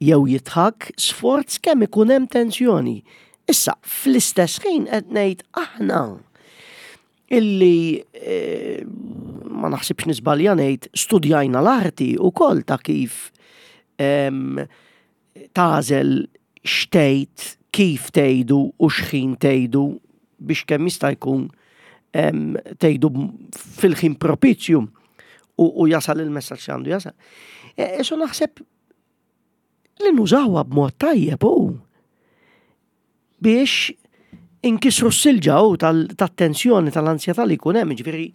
jew jidħak sforz kemm ikun hemm tensjoni. Issa, fl-istess ħin qed ngħid aħna illi eh, ma naħsibx nisbalja ngħid studjajna l-arti wkoll ta' kif ehm, tagħżel x'tgħid, kif tgħidu u x'ħin tgħidu biex kemm jista' jkun tgħidu fil-ħin propizju u jasal il-messaġġ li għandu jasal. E, so naħseb li nużawha b'mod tajjeb u biex Inkisru s-silġa u tat-tensjoni tal-ansjetà li jkun hemm, jiġifieri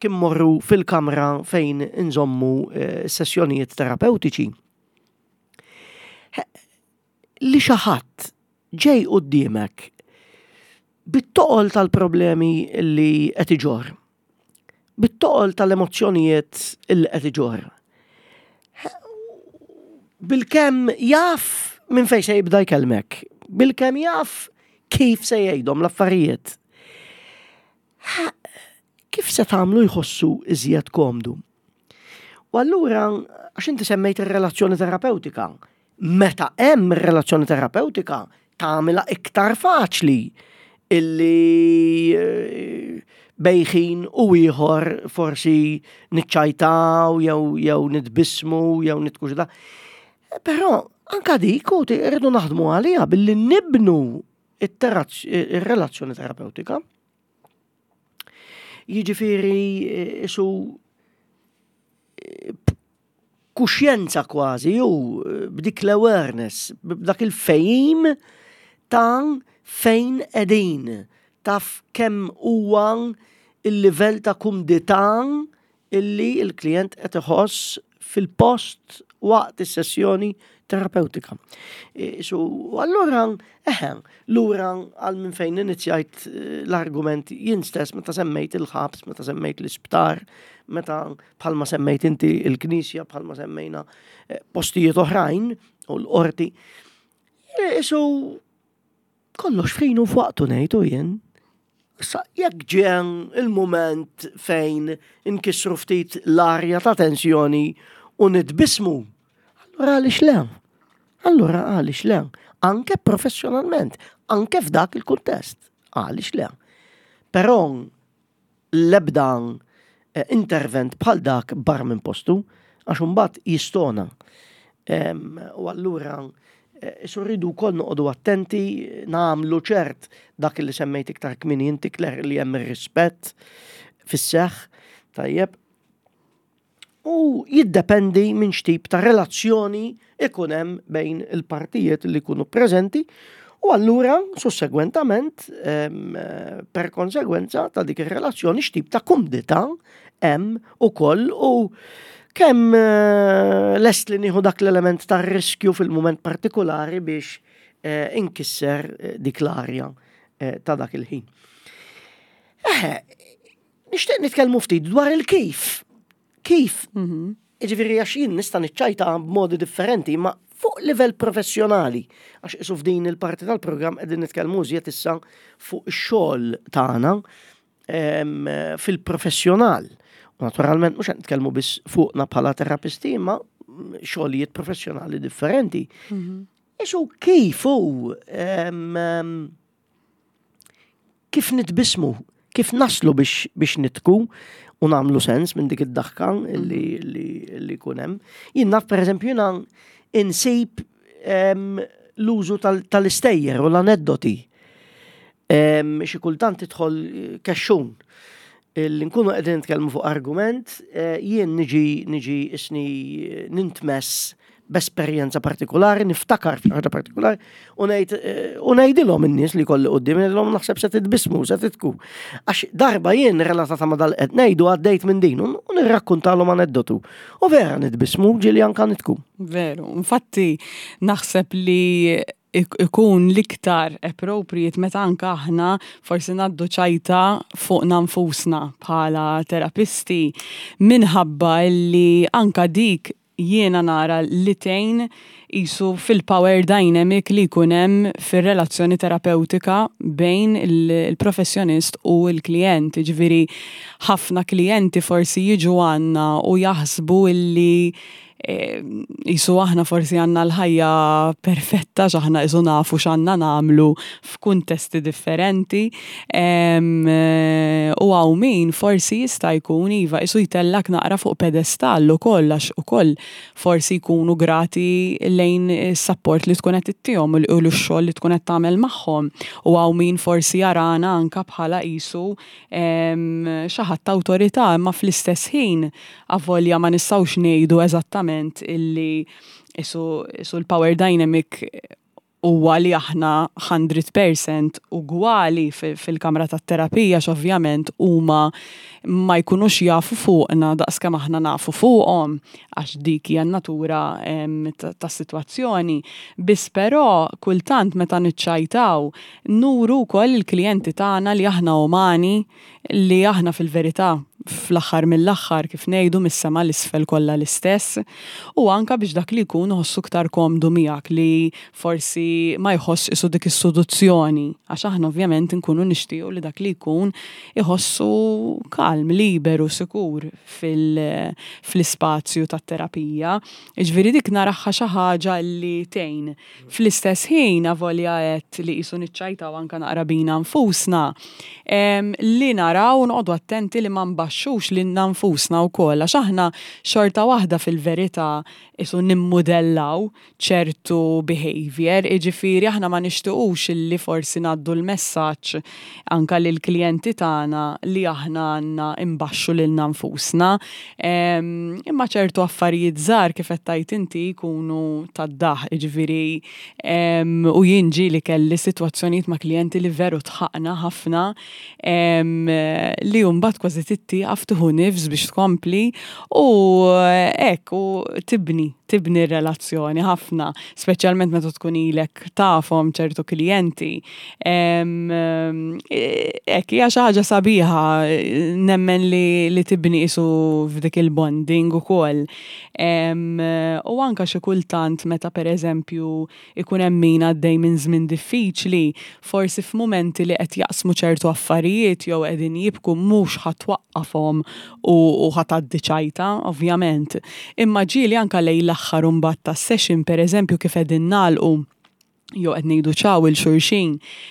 kien morru fil-kamra fejn inżommu eh, sessjonijiet terapeutiċi. Li xi ħadd ġej quddiemek bit-toqol tal-problemi li qed iġorr, bit-toqol tal-emozzjonijiet li qed iġorr. Bilkemm jaf minn fejn se jibda jkellmek, bilkemm jaf kif se jgħidhom l-affarijiet. Kif se tagħmlu jħossu iżjed komdu? U allura, għax inti semmejt ir-relazzjoni terapeutika, meta hemm relazzjoni terapeutika tagħmilha iktar faċli illi eh, bejħin u ieħor forsi niċċajtaw jew jew nitbismu jew nitkuxda. Però anka dik u rridu naħdmu għaliha billi nibnu ir-relazzjoni terapeutika. Jiġifieri eh, isu eh, kuxjenza kważi u eh, b'dik l-awareness, b'dak il-fejim ta' fejn qegħdin, taf kemm huwa il-livell ta' kumdità illi l-klijent qed iħoss fil-post waqt is-sessjoni terapeutika. E, so, allura, eħe, lura għal minn fejn inizjajt eh, l-argument jien stess meta semmejt il-ħabs, meta semmejt l-isptar, meta bħalma semmejt inti il-knisja, bħalma semmejna eh, postijiet oħrajn u l-qorti. E, so, Kollox fejn u f'waqtu ngħidu jien. Issa jekk ġie il-mument fejn inkissru ftit l-arja ta' tensjoni u nitbismu, allura għaliex le? Allura għaliex le? Anke professjonalment, anke f'dak il-kuntest, għaliex le? Però l-ebda eh, intervent bħal dak barra minn postu, għax imbagħad jistona. U allura eh, isu rridu wkoll noqogħdu attenti, nagħmlu ċert dak li semmejt iktar kmini inti Claire li hemm ir-rispett fis-seħħ, tajjeb. U jiddependi minn x'tip ta' relazzjoni ikun hemm bejn il-partijiet li jkunu preżenti u allura sussegwentament per konsegwenza ta' dik ir-relazzjoni x'tip ta' kumdità hemm ukoll u kemm eh, lest li nieħu dak l-element ta' riskju fil-mument partikolari biex eh, inkisser eh, dik l-arja ta' dak il-ħin. Eħe, Nixtieq nitkellmu ftit dwar il-kif. Kif? Mhm. Ġifieri għax jien nista' niċċajta b'modi differenti, ma fuq livell professjonali, għax isu f'din il-parti tal-programm qegħdin nitkellmu iżjed issa fuq ix-xogħol tagħna fil-professjonal. U naturalment mhux qed nitkellmu biss fuqna bħala terapisti, imma xogħlijiet professjonali differenti. Mhm. Isu kif hu kif nitbismu, kif naslu biex, biex nitku u nagħmlu sens minn dik id-daħka li, li, li jkun hemm. Jien naf pereżempju jiena insib l-użu tal-istejjer u l-aneddoti. Xi kultant tidħol kexxun li nkunu qegħdin nitkellmu fuq argument, eh, jien niġi niġi isni nintmess b'esperjenza partikolari, niftakar f'xi ħaġa partikolari, u ngħid eh, u ngħidilhom in-nies li kolli quddiem ngħidilhom naħseb se titbismu, se titku. Għax darba jien relatata ma' dal qed ngħidu għaddejt minn din u nirrakkuntalhom aneddotu. U vera nitbismu ġieli anka nitku. Veru, infatti naħseb li ikun l-iktar appropriate meta anka aħna forsi ngħaddu ċajta fuqna nfusna bħala terapisti minħabba li anka dik jiena nara li tgħin qisu fil-power dynamic li jkun hemm fir-relazzjoni terapewtika bejn il-professjonist u l-klijent. Jiġifieri ħafna klijenti forsi jiġu għandna u jaħsbu illi qisu aħna forsi għandna l-ħajja perfetta għax aħna qisu nafu x'għandna nagħmlu f'kuntesti differenti. U hawn min forsi jista' jkun iva qisu jtellgħek naqra fuq pedestall ukoll għax ukoll forsi jkunu grati lejn is-sapport li tkun qed ittihom u x-xogħol li tkun qed tagħmel magħhom. U hawn min forsi jarana anke bħala qisu xi ħadd ta' awtorità imma fl-istess ħin avolja ma nistgħux ngħidu eżattament illi qisu l-power dynamic. huwa li aħna 100% ugwali fil-kamra tat-terapija x'ovvjament huma ma jkunux jafu fuqna daqskemm aħna nafu fuqhom għax dik hija n-natura tas-sitwazzjoni. Biss però kultant meta niċċajtaw nuru wkoll il-klijenti tagħna li aħna umani li aħna fil-verità fl-aħħar mill-aħħar kif ngħidu mis-sema 'l isfel kollha l-istess u anke biex dak li jkun iħossu iktar komdu miegħek li forsi ma jħossx qisu dik is-suduzzjoni għax aħna ovvjament inkunu nixtiequ li dak li jkun iħossu kalm, liberu, sikur fl-ispazju tat-terapija. Jiġifieri dik naraha xi ħaġa li tgħin. Fl-istess ħin, avolja għedt li qisu niċċajtaw anke naqra bina nfusna, li naraw u noqogħdu attenti li ma nbaxxux lilna nfusna wkoll għax aħna xorta waħda fil-verità qisu nimmudellaw ċertu behaviour, jiġifieri aħna ma nixtiqux illi forsi ngħaddu l-messaġġ anke lill-klijenti tagħna li aħna għandna nbaxxu lilna nfusna. Imma ċertu affarijiet żgħar kif qed tgħid inti jkunu tad-daħq, jiġifieri u jien ġieli kelli sitwazzjonijiet ma' klijenti li veru dħaqna ħafna li mbagħad kważi trid tieqaf tieħu nifs biex tkompli u hekk u tibni, tibni r-relazzjoni ħafna, speċjalment meta tkun ilek tafhom ċertu klijenti. Hekk hija xi ħaġa sabiħa nemmen li, li tibni qisu f'dik il-bonding ukoll. U anka xi kultant meta pereżempju ikun hemm min għaddej minn żmien diffiċli, forsi f'mumenti li qed jaqsmu ċertu affarijiet jew qegħdin jibku mhux ħa twaqqafhom u, u ħa tgħaddi ċajta, ovvjament. Imma ġieli anka lejn l-aħħar imbagħad tas-session pereżempju kif qegħdin nagħlqu jew qed ngħidu ċaw 'il xulxin.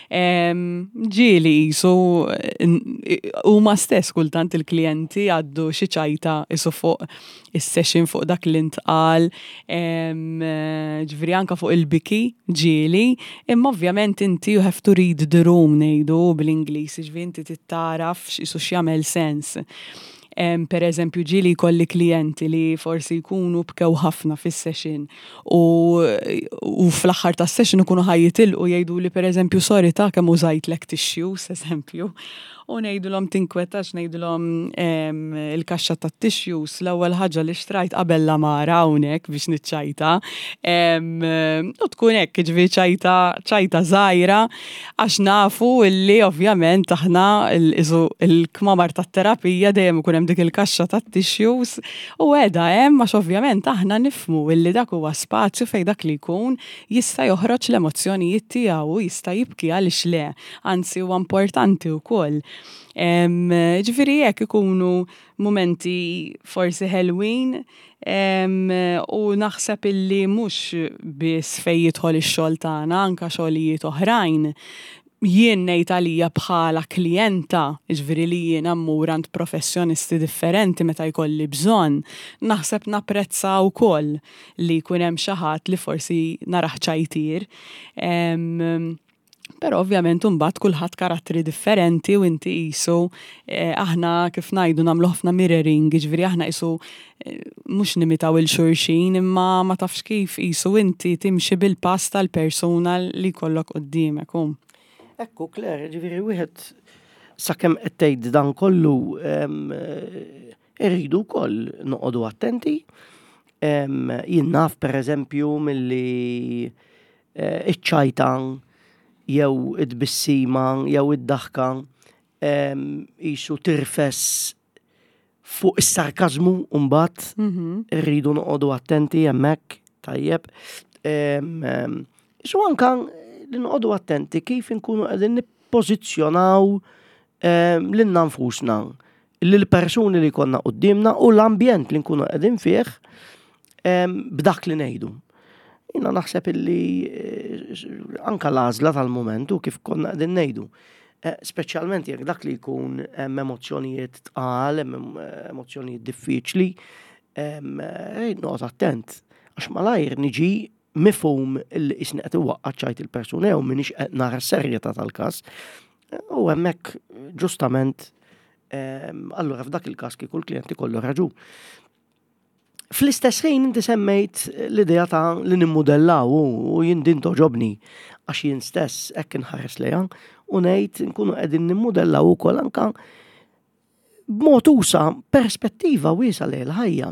Ġieli qisu huma stess kultant il-klijenti għaddu xi ċajta qisu fuq is-session fuq dak li ntqal, ġifieri anke fuq il-biki ġieli, imma ovvjament inti you have to read the room ngħidu bl-Ingliż, ġifieri inti trid tagħraf qisu x'jagħmel sens. Per eżempju, ġieli jkolli klijenti li forsi jkunu bkew ħafna fis-session u, u fl-aħħar tas-session ikunu ħa jitilqu jgħidu li per eżempju sorry ta' kemm użajtlek tissues, eżempju. U ngħidulhom tinkwetax, ngħidulhom il-kaxxa tat-tissues l-ewwel ħaġa li xtrajt qabel l-għamara hawnhekk biex niċċajta. U tkun hekk, jiġifieri ċajta ċajta żgħira għax nafu illi ovvjament aħna il-kmamar tat-terapija dejjem ikun hemm dik il-kaxxa tat-tissues u qiegħda hemm għax ovvjament aħna nifhmu illi dak huwa spazju fejn dak li jkun jista' joħroġ l-emozzjonijiet tiegħu u jista' jibki għaliex le, anzi huwa importanti wkoll. Ġifieri hekk ikunu mumenti forsi ħelwin u naħseb illi mhux biss fejn jidħol ix-xogħol tagħna, anke xogħlijiet oħrajn jien ngħid għalija bħala klijenta, jiġifieri li jiena mmur għand professjonisti differenti meta jkolli bżonn, naħseb napprezza wkoll li jkun hemm xi ħadd li forsi narah ċajtier. Però ovvjament imbagħad kulħadd karattri differenti u inti qisu eh, aħna kif ngħidu nagħmlu ħafna mirroring, jiġifieri aħna qisu eh, mhux nimitaw 'il xulxin imma ma tafx kif qisu inti timxi bil-pass tal-persuna li jkollok quddiemek. U. Ekku, Claire, ġifieri wieħed sakemm qed tgħid dan kollu eh, irridu wkoll noqogħdu attenti. Jien naf pereżempju milli eh, iċ-ċajta jew it-tbissima jew id-daħka qisu tirfes fuq is-sarkażmu mbagħad irridu noqogħdu attenti hemmhekk tajjeb. Isu anka li noqogħdu attenti kif inkunu qegħdin nippożizzjonaw lilna nfusna lill-persuni li jkollna quddiemna u l-ambjent li nkunu qegħdin fih b'dak li ngħidu. Jiena naħseb illi eh, anka l-għażla tal-momentu kif konna qegħdin ngħidu. Eh, speċjalment jekk dak li jkun hemm emozzjonijiet tqal, hemm eh, emozzjonijiet diffiċli, noqgħod attent għax malajr niġi mifhum illi qisni qed iwaqqa' ċajt il-persuna jew m'iniex qed nara s-serjetà tal-każ. U hemmhekk ġustament allura f'dak il-każ kieku l-klient ikollu raġun. Fl-istess ħin inti semmejt l-idea ta' li nimmudellaw u jien din toġobni għax jien stess hekk inħares lejha u ngħid nkunu qegħdin nimmudellaw ukoll anka b'mod usa perspettiva wiesa lejn il-ħajja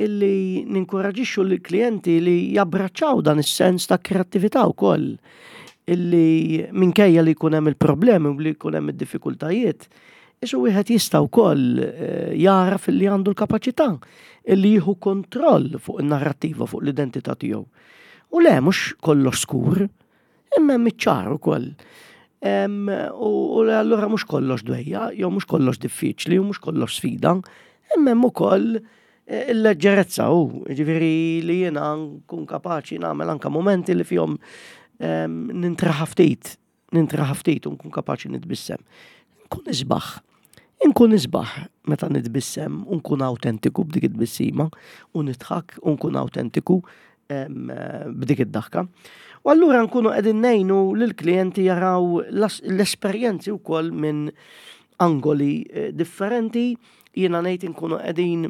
illi ninkoraġixxu lill-klijenti li jabbraċċaw dan is-sens ta' kreattività wkoll illi minkejja li jkun hemm il-problemi u li jkun hemm id-diffikultajiet, isu wieħed jista' wkoll eh, jaraf li għandu l-kapaċità illi jieħu kontroll fuq in-narrattiva, fuq l-identità tiegħu. U le mhux kollox skur, imma hemm iċ-ċar ukoll. U allura mhux kollox dwejja, jew mhux kollox diffiċli, u mhux kollox sfida, imma hemm ukoll eh, il-leġġerezza u ġifieri li jiena nkun kapaċi nagħmel anka momenti li fihom nintraħa ftit, nintraħa ftit u nkun kapaċi nitbissem. Nkun isbaħ. Inkun isbaħ meta nitbissem u nkun awtentiku b'dik it-tbissima u nidħak u nkun awtentiku b'dik id-daħka. U allura nkunu qegħdin ngħinu lill-klijenti jaraw l-esperjenzi wkoll minn angoli eh, differenti, jiena ngħid inkunu qegħdin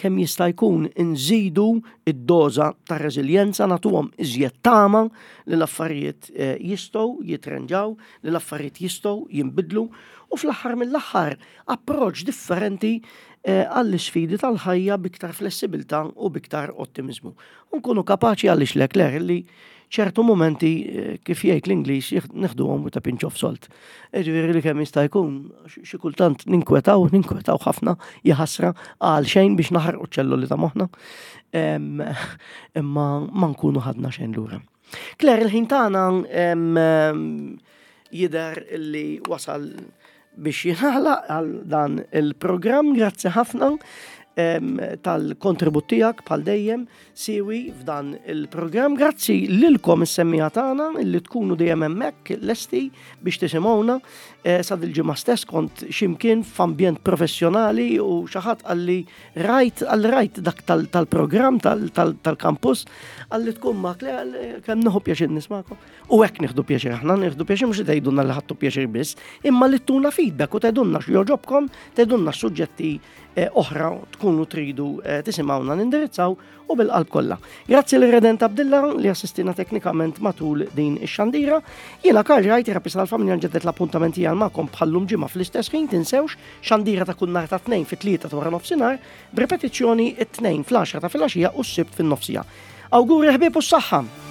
kemm jista' jkun inżidu id-doża ta' reżiljenza nagħtuhom iżjed tama li l-affarijiet eh, jistgħu jitrenġaw, li l-affarijiet jistgħu jinbidlu u fl-aħħar mill-aħħar approċċ differenti eh, għall-isfidi tal-ħajja biktar flessibilità u biktar ottimiżmu. U nkunu kapaċi għaliex Leclerc li ċertu momenti eh, kif jgħid l-Ingliż neħduhom with a pinch of salt. Ġifieri li kemm jista' jkun xi kultant ninkwetaw, ninkwetaw ħafna jaħasra għal xejn biex naħarqu ċelloli ta' moħħna. Imma ma nkunu ħadna xejn lura. Claire, il-ħin tagħna jidher li wasal biex jingħalaq għal dan il-programm. Grazzi ħafna tal-kontribut tiegħek bħal dejjem siwi f'dan il-programm. Grazzi lilkom is-semmija tagħna li tkunu dejjem hemmhekk lesti biex tisimgħuna. Eh, sa dil-ġimgħa stess kont ximkien f'ambjent professjonali u xi ħadd qalli rajt għal rajt dak tal-programm tal-kampus qalli tkun ma kemm nieħu pjaċir nismakom. U hekk nieħdu pjaċir aħna, nieħdu pjaċir mhux li tgħidulna li ħadtu pjaċir biss, imma li tuna feedback u tgħidulna x'jogħġobkom, tgħidulna suġġetti eh, oħra tkunu tridu eh, tisimgħuna nindirizzaw u bil-qalb kollha. Grazzi lil Redent Abdilla li assistina teknikament matul din ix-xandira. Jiena Karl Rajt, terapista tal-familja nġeddet l-appuntament tiegħi magħkom bħallum ġimgħa fl-istess ħin tinsewx xandira ta' kull nhar ta' tnejn fit-tlieta ta' wara nofsinhar, b'repetizzjoni it-tnejn fl-10 ta' filgħaxija u s-sibt fin-nofsija. Awguri ħbieb u s-saħħa!